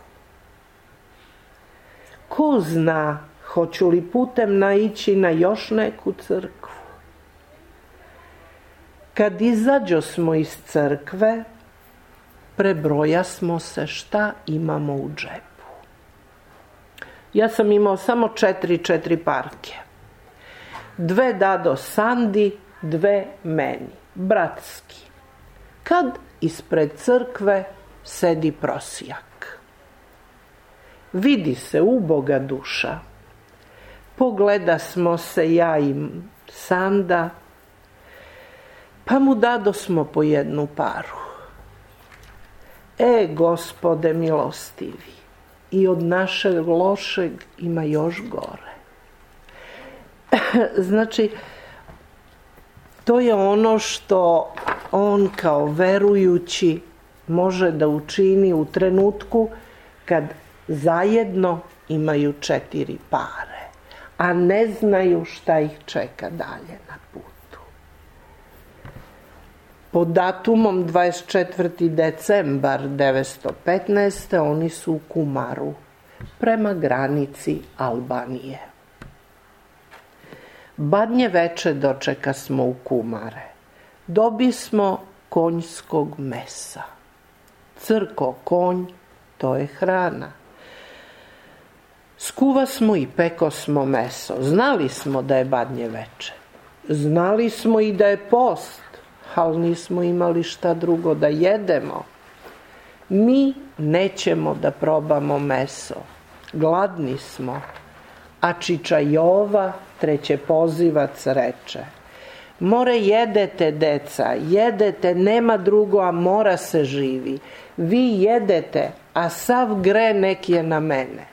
Ko zna, hoću li putem naići na još neku crkvu? Kad izađo smo iz crkve, prebroja smo se šta imamo u džepu. Ja sam imao samo četiri četiri parke. Dve dado Sandi, dve meni, bratski. Kad ispred crkve sedi prosjak. Vidi se uboga duša. Pogleda smo se ja i Sanda, pa mu dado smo po jednu paru. E, Gospode milostivi, i od našeg lošeg ima još gore. Znači, to je ono što on kao verujući može da učini u trenutku kad zajedno imaju četiri pare, a ne znaju šta ih čeka dalje na putu. Pod datumom dvadeset četvrti decembar devetsto petnaeste. oni su u Kumaru, prema granici Albanije. Badnje veče dočeka smo u Kumare. Dobi smo konjskog mesa. Crko konj, to je hrana. Skuva smo i peko smo meso. Znali smo da je badnje veče. Znali smo i da je post. ali nismo imali šta drugo da jedemo. Mi nećemo da probamo meso. Gladni smo. A Čiča Jova, treće pozivac, reče: more jedete, deca, jedete, nema drugo, a mora se živi. Vi jedete, a sav gre nek je na mene.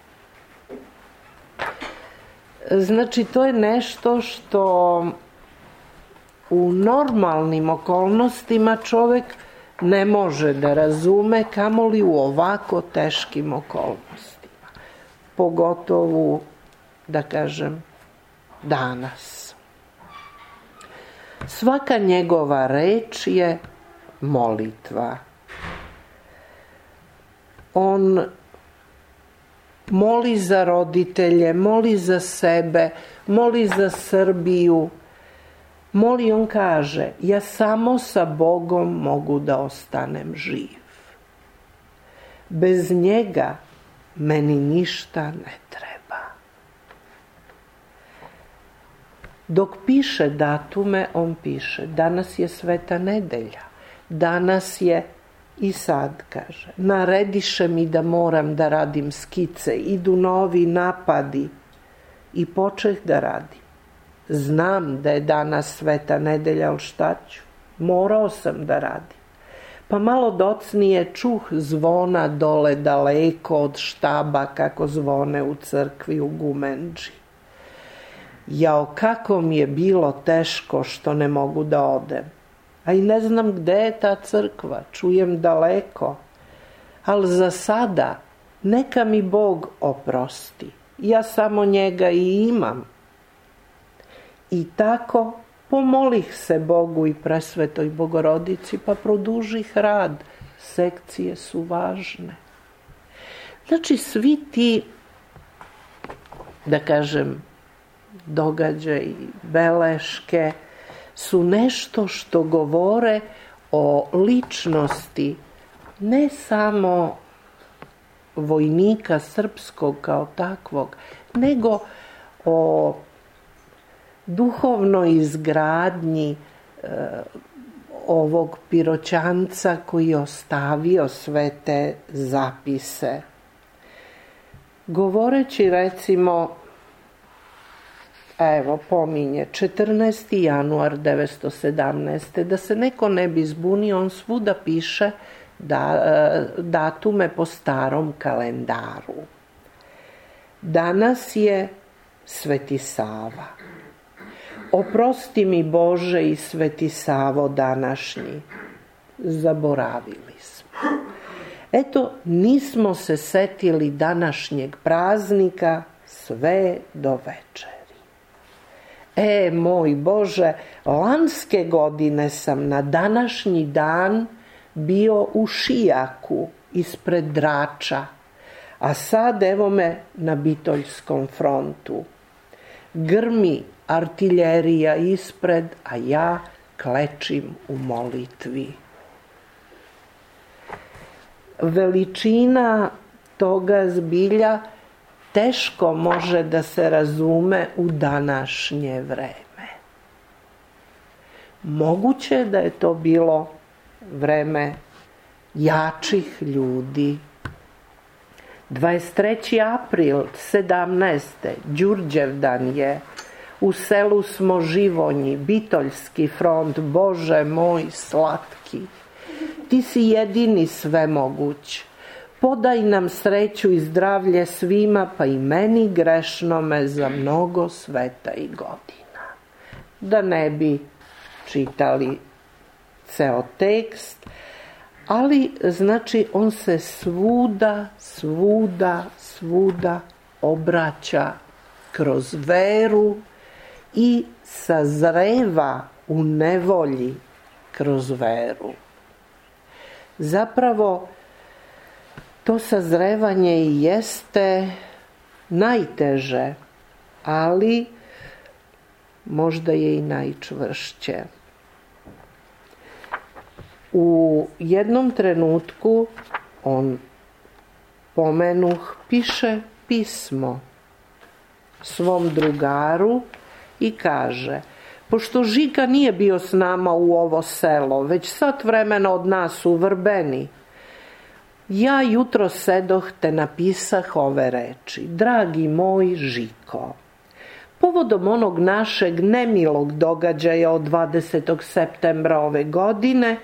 Znači, to je nešto što u normalnim okolnostima čovjek ne može da razume, kamoli u ovako teškim okolnostima. Pogotovo, da kažem, danas. Svaka njegova reč je molitva. On moli za roditelje, moli za sebe, moli za Srbiju. Moli, on kaže: ja samo sa Bogom mogu da ostanem živ. Bez njega meni ništa ne treba. Dok piše datume, on piše: danas je Sveta nedelja, danas je, i sad kaže, narediše mi da moram da radim skice, idu novi napadi, i počeh da radim. Znam da je danas Sveta nedelja, ali šta ću? Morao sam da radim. Pa malo docnije čuh zvona dole daleko od štaba, kako zvone u crkvi u Gumendži. Jao, kako mi je bilo teško što ne mogu da odem. A i ne znam gde je ta crkva, čujem daleko. Ali za sada neka mi Bog oprosti. Ja samo njega i imam. I tako pomolih se Bogu i Presvetoj Bogorodici, pa produžih rad. Sekcije su važne. Znači, svi ti, da kažem, događaji, beleške, su nešto što govore o ličnosti ne samo vojnika srpskog kao takvog, nego o duhovnoj izgradnji e, ovog Piroćanca koji je ostavio sve te zapise. Govoreći, recimo, evo, pominje četrnaesti januar devetsto sedamnaeste. Da se neko ne bi zbunio, on svuda piše da, datume po starom kalendaru. Danas je Sveti Sava. Oprosti mi Bože i Sveti Savo današnji. Zaboravili smo. Eto, nismo se setili današnjeg praznika sve do večeri. E, moj Bože, lanske godine sam na današnji dan bio u Šijaku ispred Drača, a sad evo me na Bitoljskom frontu. Grmi artiljerija ispred, a ja klečim u molitvi. Veličina toga zbilja teško može da se razume u današnje vreme. Moguće je da je to bilo vreme jačih ljudi. dvadeset treći april sedamnaeste. Đurđevdan je. U selu smo Živonji, Bitoljski front, Bože moj slatki. Ti si jedini svemoguć. Podaj nam sreću i zdravlje svima, pa i meni grešnome za mnogo sveta i godina. Da ne bi čitali ceo tekst, ali znači on se svuda, svuda, svuda obraća kroz veru i sazreva u nevolji kroz veru. Zapravo, to sazrevanje i jeste najteže, ali možda je i najčvršće. U jednom trenutku on, pomenuh, piše pismo svom drugaru i kaže: Pošto Žika nije bio s nama u ovo selo, već sat vremena od nas u Vrbeni, ja jutro sedoh te napisah ove reči. Dragi moj Žiko, povodom onog našeg nemilog događaja od dvadesetog septembra ove godine,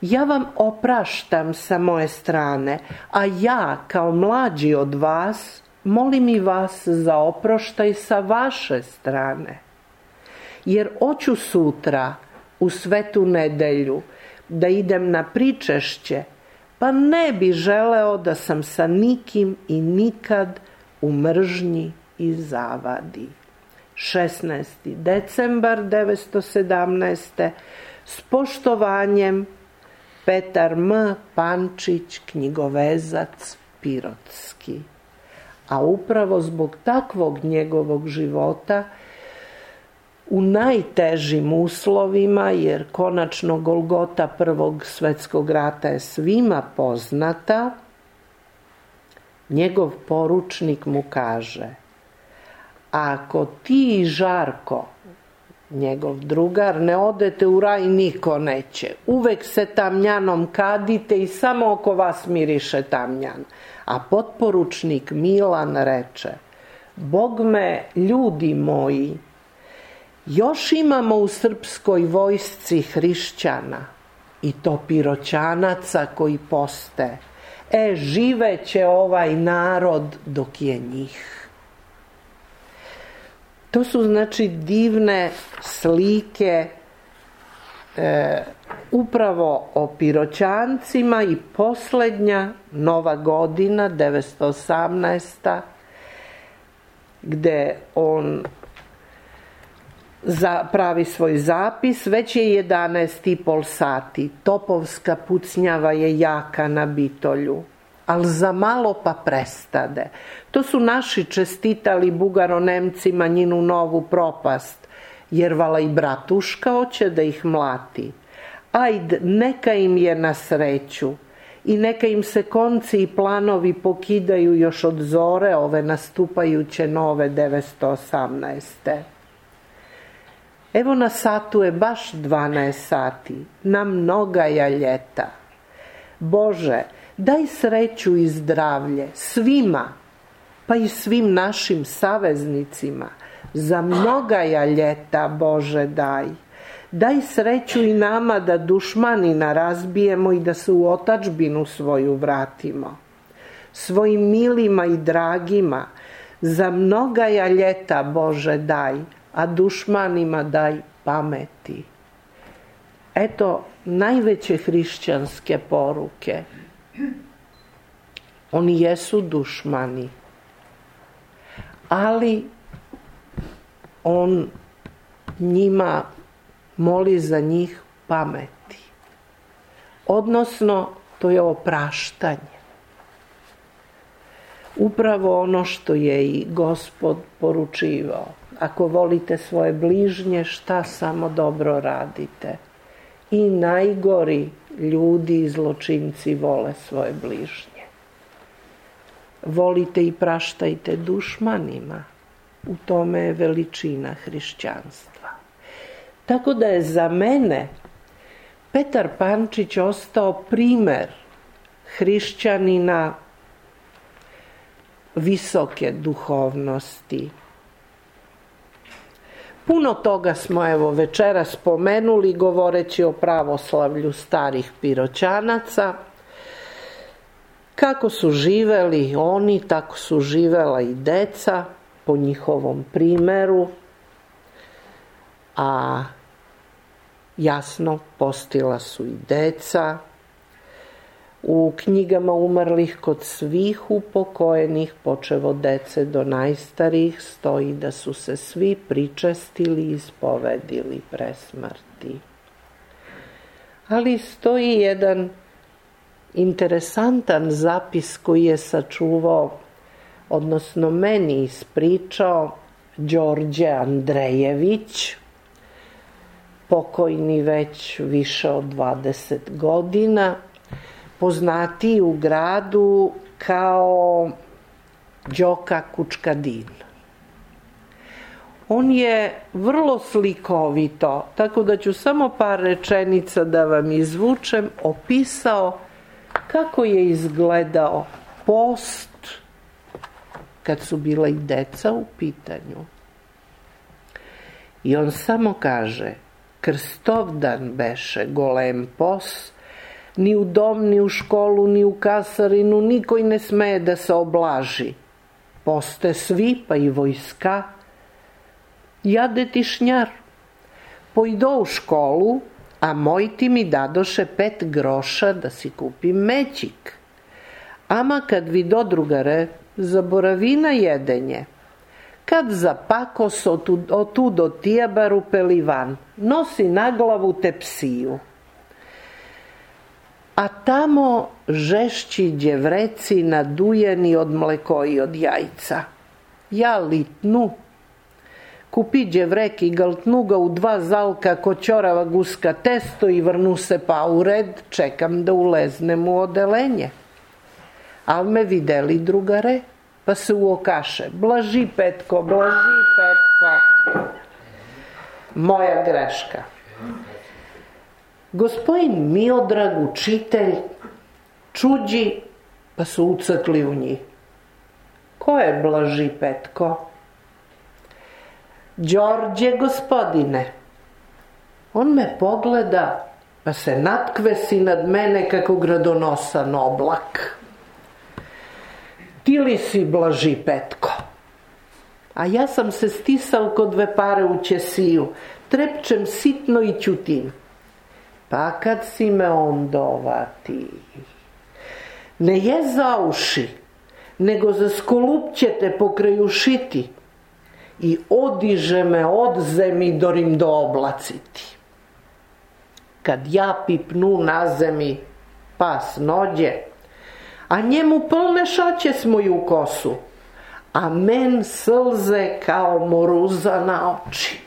ja vam opraštam sa moje strane, a ja kao mlađi od vas molim i vas za oproštaj sa vaše strane. Jer hoću sutra, u Svetu nedelju, da idem na pričešće, pa ne bi želeo da sam sa nikim i nikad u mržnji i zavadi. šesnaesti decembar devetsto sedamnaeste. S poštovanjem, Petar M. Pančić, knjigovezac pirotski. A upravo zbog takvog njegovog života, u najtežim uslovima, jer konačno golgota Prvog svjetskog rata je svima poznata, njegov poručnik mu kaže: ako ti i Žarko, njegov drugar, ne odete u raj, niko neće. Uvek se tamnjanom kadite i samo oko vas miriše tamnjan. A potporučnik Milan reče: Bogme, ljudi moji, još imamo u srpskoj vojsci hrišćana, i to piroćanaca koji poste. E, živeće ovaj narod dok je njih. To su znači divne slike e, upravo o piroćancima i posljednja Nova godina, devetsto osamnaesta. gde on pravi svoj zapis. Već je jedanaest i pol sati, topovska pucnjava je jaka na Bitolju, ali za malo pa prestade. To su naši čestitali Bugaro-Nemcima njinu novu propast, jer vala i bratuška hoće da ih mlati. Ajd, neka im je na sreću i neka im se konci i planovi pokidaju još od zore ove nastupajuće nove devetsto osamnaeste. Evo na satu je baš dvanaest sati, na mnogaja ljeta. Bože, daj sreću i zdravlje svima, pa i svim našim saveznicima. Za mnogaja ljeta, Bože, daj. Daj sreću i nama da dušmanina razbijemo i da se u otadžbinu svoju vratimo. Svojim milima i dragima za mnogaja ljeta, Bože, daj, a dušmanima daj pameti. Eto najveće hrišćanske poruke. Oni jesu dušmani, ali on njima moli za njih pameti. Odnosno, to je opraštanje. Upravo ono što je i Gospod poručivao. Ako volite svoje bližnje, šta samo dobro radite. I najgori ljudi i zločinci vole svoje bližnje. Volite i praštajte dušmanima. U tome je veličina hrišćanstva. Tako da je za mene Petar Pančić ostao primer hrišćanina visoke duhovnosti. Puno toga smo evo večeras spomenuli govoreći o pravoslavlju starih piroćanaca. Kako su živeli oni, tako su živela i deca po njihovom primeru, a jasno postila su i deca. U knjigama umrlih kod svih upokojenih, počev od dece do najstarijih, stoji da su se svi pričestili i ispovedili pre smrti. Ali stoji jedan interesantan zapis koji je sačuvao, odnosno meni ispričao, Đorđe Andrejević, pokojni već više od dvadeset godina, poznatiji u gradu kao Đoka Kučkadin. On je vrlo slikovito, tako da ću samo par rečenica da vam izvučem, opisao kako je izgledao post kad su bila i deca u pitanju. I on samo kaže, Krstovdan beše golem pos, ni u dom, ni u školu, ni u kasarinu, nikoj ne smeje da se oblaži. Poste svi, pa i vojska, jade tišnjar. Pojdo u školu, a mojti mi dadoše pet groša da si kupim mećik. Ama kad vido drugare, zaboravi na jedenje. Kad zapakos otud od tijabaru pelivan, nosi na glavu tepsiju. A tamo žešći đevreci nadujeni od mleko i od jajca. Ja litnu. Kupi đevrek i galtnu ga u dva zalka ko ćorava guska testo i vrnu se pa u red, čekam da uleznem u odelenje. Al me videli drugare, pa se uokaše. Blaži Petko, blaži Petko. Moja greška. Gospodin Miodrag, učitelj, čuđi, pa su ucrkli u njih. Ko je blaži Petko? Đorđe, gospodine. On me pogleda, pa se natkvesi nad mene kako gradonosan oblak. Ti li si blaži Petko? A ja sam se stisal kod dve pare u ćesiju, trepčem sitno i ćutim. Pa kad si me ondovati, ne je za uši, nego za skolupćete pokraj ušiti i odiže me od zemi dorim do oblaciti. Kad ja pipnu na zemi, pas nođe, a njemu polne šaće s moju kosu, a men slze kao moruza na oči.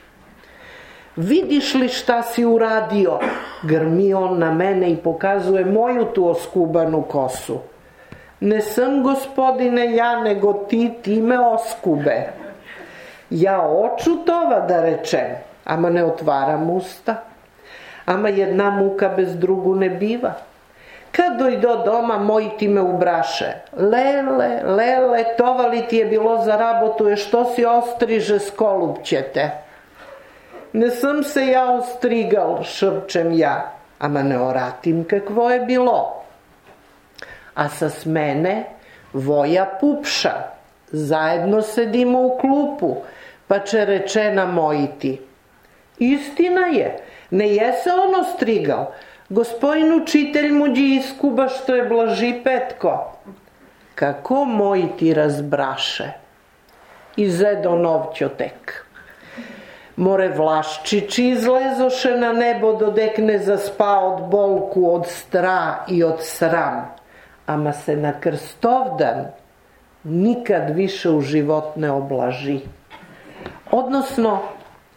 Vidiš li šta si uradio? Grmi on na mene i pokazuje moju tu oskubanu kosu. Ne sam, gospodine, ja, nego ti, ti me oskube. Ja oču tova da rečem, ama ne otvaram usta. Ama jedna muka bez drugu ne biva. Kad dojdo doma, moji ti me ubraše. Lele, lele, tova li ti je bilo za rabotu, je što si ostriže skolupćete. Ne sam se ja ostrigal, šrpčem ja, ama ne oratim kakvo je bilo. A sa smene Voja Pupša, zajedno sedimo u klupu, pa će rečena mojiti. Istina je, ne je se on ostrigao, gospodin učitelj muđi iskuba što je blaži Petko. Kako mojiti razbraše? Izedo novćotek. More Vlaščići izlezoše na nebo dodek ne zaspa od bolku, od stra i od sram. Ama se na Krstovdan nikad više u život ne oblaži. Odnosno,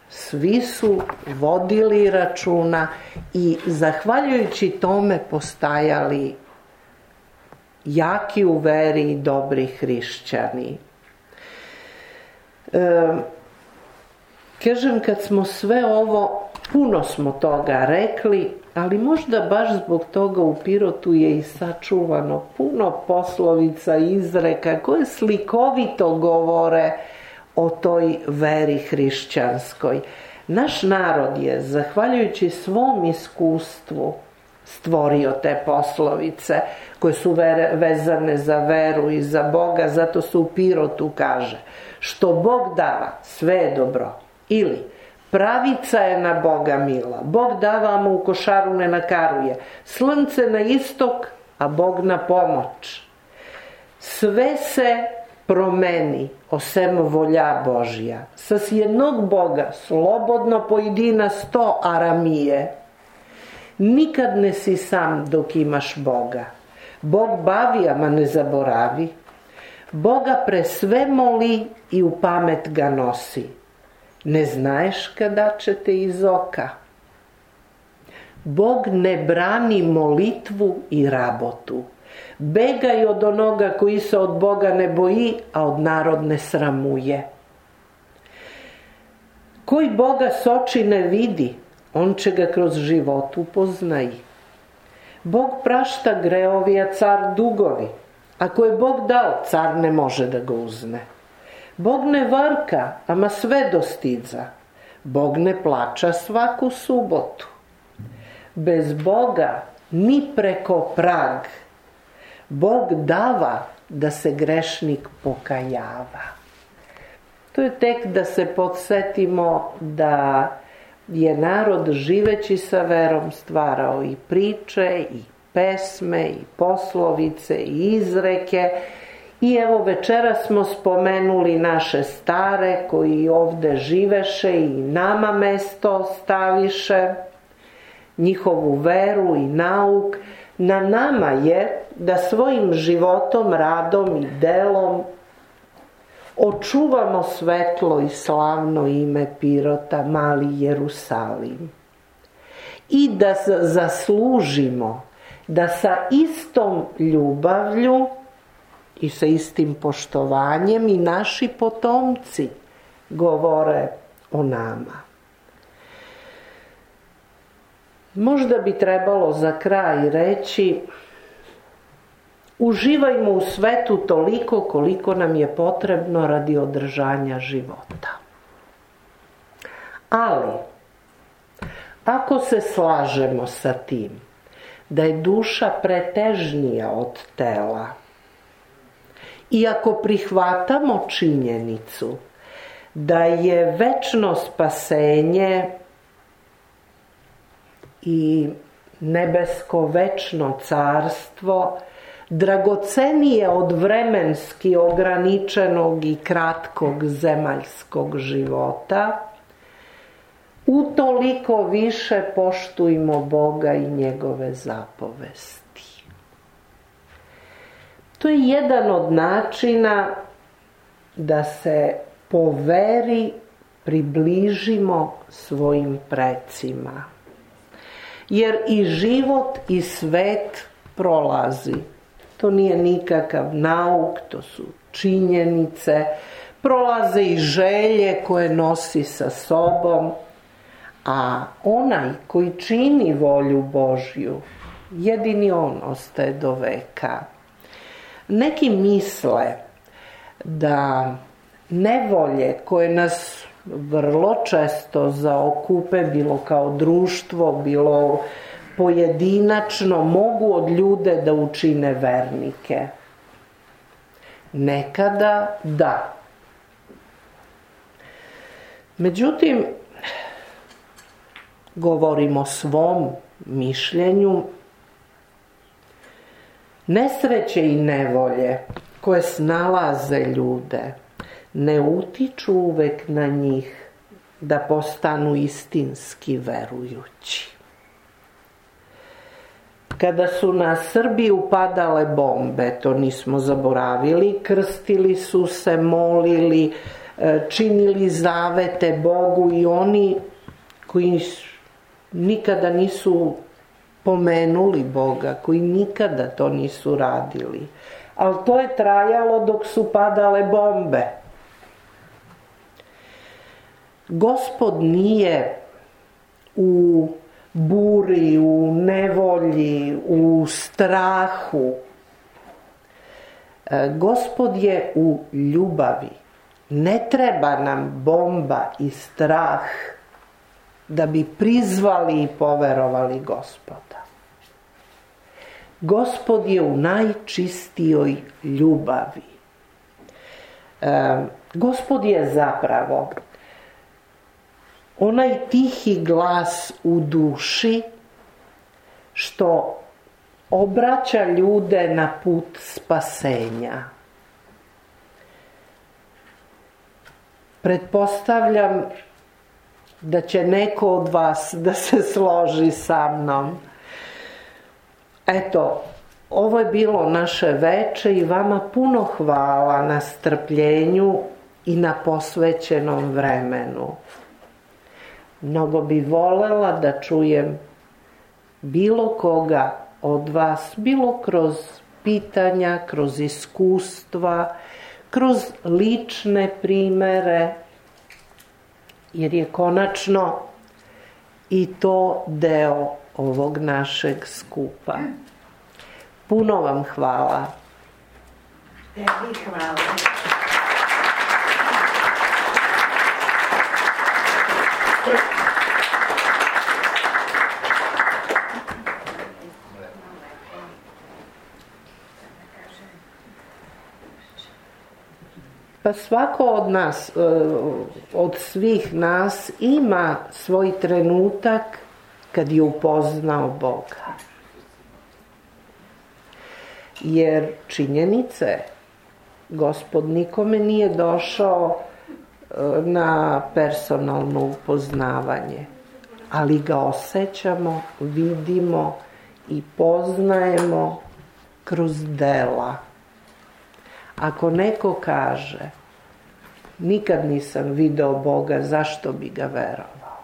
svi su vodili računa i zahvaljujući tome postajali jaki u veri i dobri hrišćani. E, Kažem, kad smo sve ovo, puno smo toga rekli, ali možda baš zbog toga u Pirotu je i sačuvano puno poslovica i izreka koje slikovito govore o toj veri hrišćanskoj. Naš narod je, zahvaljujući svom iskustvu, stvorio te poslovice koje su vezane za veru i za Boga, zato se u Pirotu kaže: što Bog dava, sve je dobro. Ili, pravica je na Boga mila, Bog dava mu u košaru ne nakaruje, slnce na istok, a Bog na pomoć. Sve se promeni, osem volja Božja. Sa s jednog Boga slobodno pojedina sto aramije. Nikad ne si sam dok imaš Boga. Bog bavi, ama ne zaboravi. Boga pre sve moli i u pamet ga nosi. Ne znaješ kada će te iz oka. Bog ne brani molitvu i rabotu. Begaj od onoga koji se od Boga ne boji, a od narod ne sramuje. Koji Boga s oči ne vidi, on će ga kroz život upoznaji. Bog prašta greovi, a car dugovi. Ako je Bog dao, car ne može da ga uzme. Bog ne varka, ama sve dostidza. Bog ne plaća svaku subotu. Bez Boga ni preko prag. Bog dava da se grešnik pokajava. To je tek da se podsjetimo da je narod živeći sa verom stvarao i priče, i pesme, i poslovice, i izreke. I evo večera smo spomenuli naše stare koji ovde živeše i nama mesto staviše, njihovu veru i nauk. Na nama je da svojim životom, radom i delom očuvamo svetlo i slavno ime Pirota, mali Jerusalim. I da zaslužimo da sa istom ljubavlju i sa istim poštovanjem i naši potomci govore o nama. Možda bi trebalo za kraj reći: uživajmo u svetu toliko koliko nam je potrebno radi održanja života. Ali, ako se slažemo sa tim da je duša pretežnija od tela, i ako prihvatamo činjenicu da je večno spasenje i nebesko večno carstvo dragocenije od vremenski ograničenog i kratkog zemaljskog života, utoliko više poštujmo Boga i njegove zapovesti. To je jedan od načina da se po veri približimo svojim precima. Jer i život i svet prolazi. To nije nikakav nauk, to su činjenice. Prolaze i želje koje nosi sa sobom. A onaj koji čini volju Božju, jedini on ostaje do veka. Neki misle da nevolje koje nas vrlo često zaokupe, bilo kao društvo, bilo pojedinačno, mogu od ljude da učine vernike. Nekada da. Međutim, govorim o svom mišljenju, nesreće i nevolje koje snalaze ljude ne utiču uvek na njih da postanu istinski verujući. Kada su na Srbiju padale bombe, to nismo zaboravili, krstili su se, molili, činili zavete Bogu i oni koji nikada nisu pomenuli Boga, koji nikada to nisu radili. Ali to je trajalo dok su padale bombe. Gospod nije u buri, u nevolji, u strahu. Gospod je u ljubavi. Ne treba nam bomba i strah da bi prizvali i poverovali Gospoda. Gospod je u najčistijoj ljubavi. Gospod je zapravo onaj tihi glas u duši što obraća ljude na put spasenja. Pretpostavljam da će neko od vas da se složi sa mnom. Eto, ovo je bilo naše veče i vama puno hvala na strpljenju i na posvećenom vremenu. Mnogo bi volela da čujem bilo koga od vas, bilo kroz pitanja, kroz iskustva, kroz lične primere, jer je konačno i to deo ovog našeg skupa. Puno vam hvala. Tebi hvala. Pa svako od nas, od svih nas ima svoj trenutak kad je upoznao Boga. Jer činjenice, Gospod nikome nije došao na personalno upoznavanje, ali ga osjećamo, vidimo i poznajemo kroz dela. Ako neko kaže, nikad nisam video Boga, zašto bi ga verovao?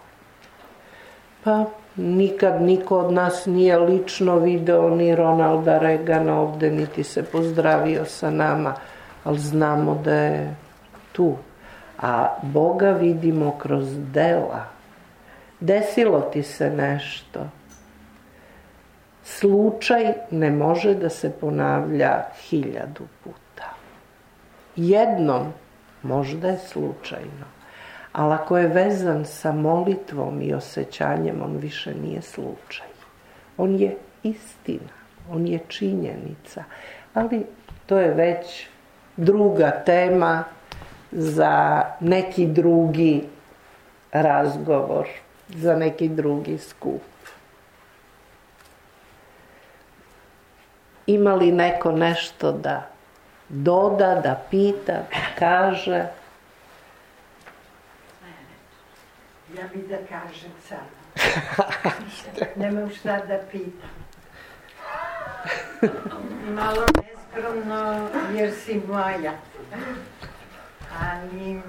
Pa nikad niko od nas nije lično video ni Ronalda Reagana ovde, niti se pozdravio sa nama, ali znamo da je tu. A Boga vidimo kroz dela. Desilo ti se nešto. Slučaj ne može da se ponavlja hiljadu puta. Jednom možda je slučajno, ali ako je vezan sa molitvom i osjećanjem, on više nije slučaj. On je istina, on je činjenica, ali to je već druga tema za neki drugi razgovor, za neki drugi skup. Ima li neko nešto da doda, da pita, da kaže? Ja bi da kažem sad. Nemam šta da pitam. Malo neskromno jer si moja. Ali,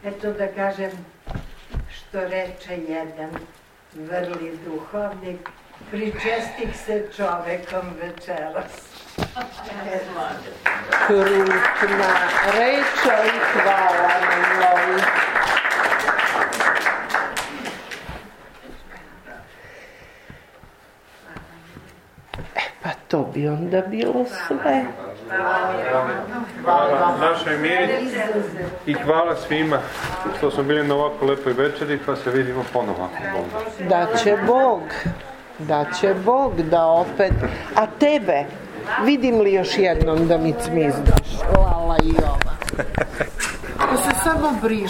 eto da kažem, što reče jedan vrli duhovnik, pričestih se čovekom večeras. Krupna reča i hvala na novi. E pa to bi onda bilo sve. Hvala našoj Miri i hvala svima što smo bili na ovako lepoj večeri, pa se vidimo ponovo. Da će Bog, da će Bog da opet, a tebe vidim li još jednom da mi cmizdaš? Lala i ova. Ko se samo briš.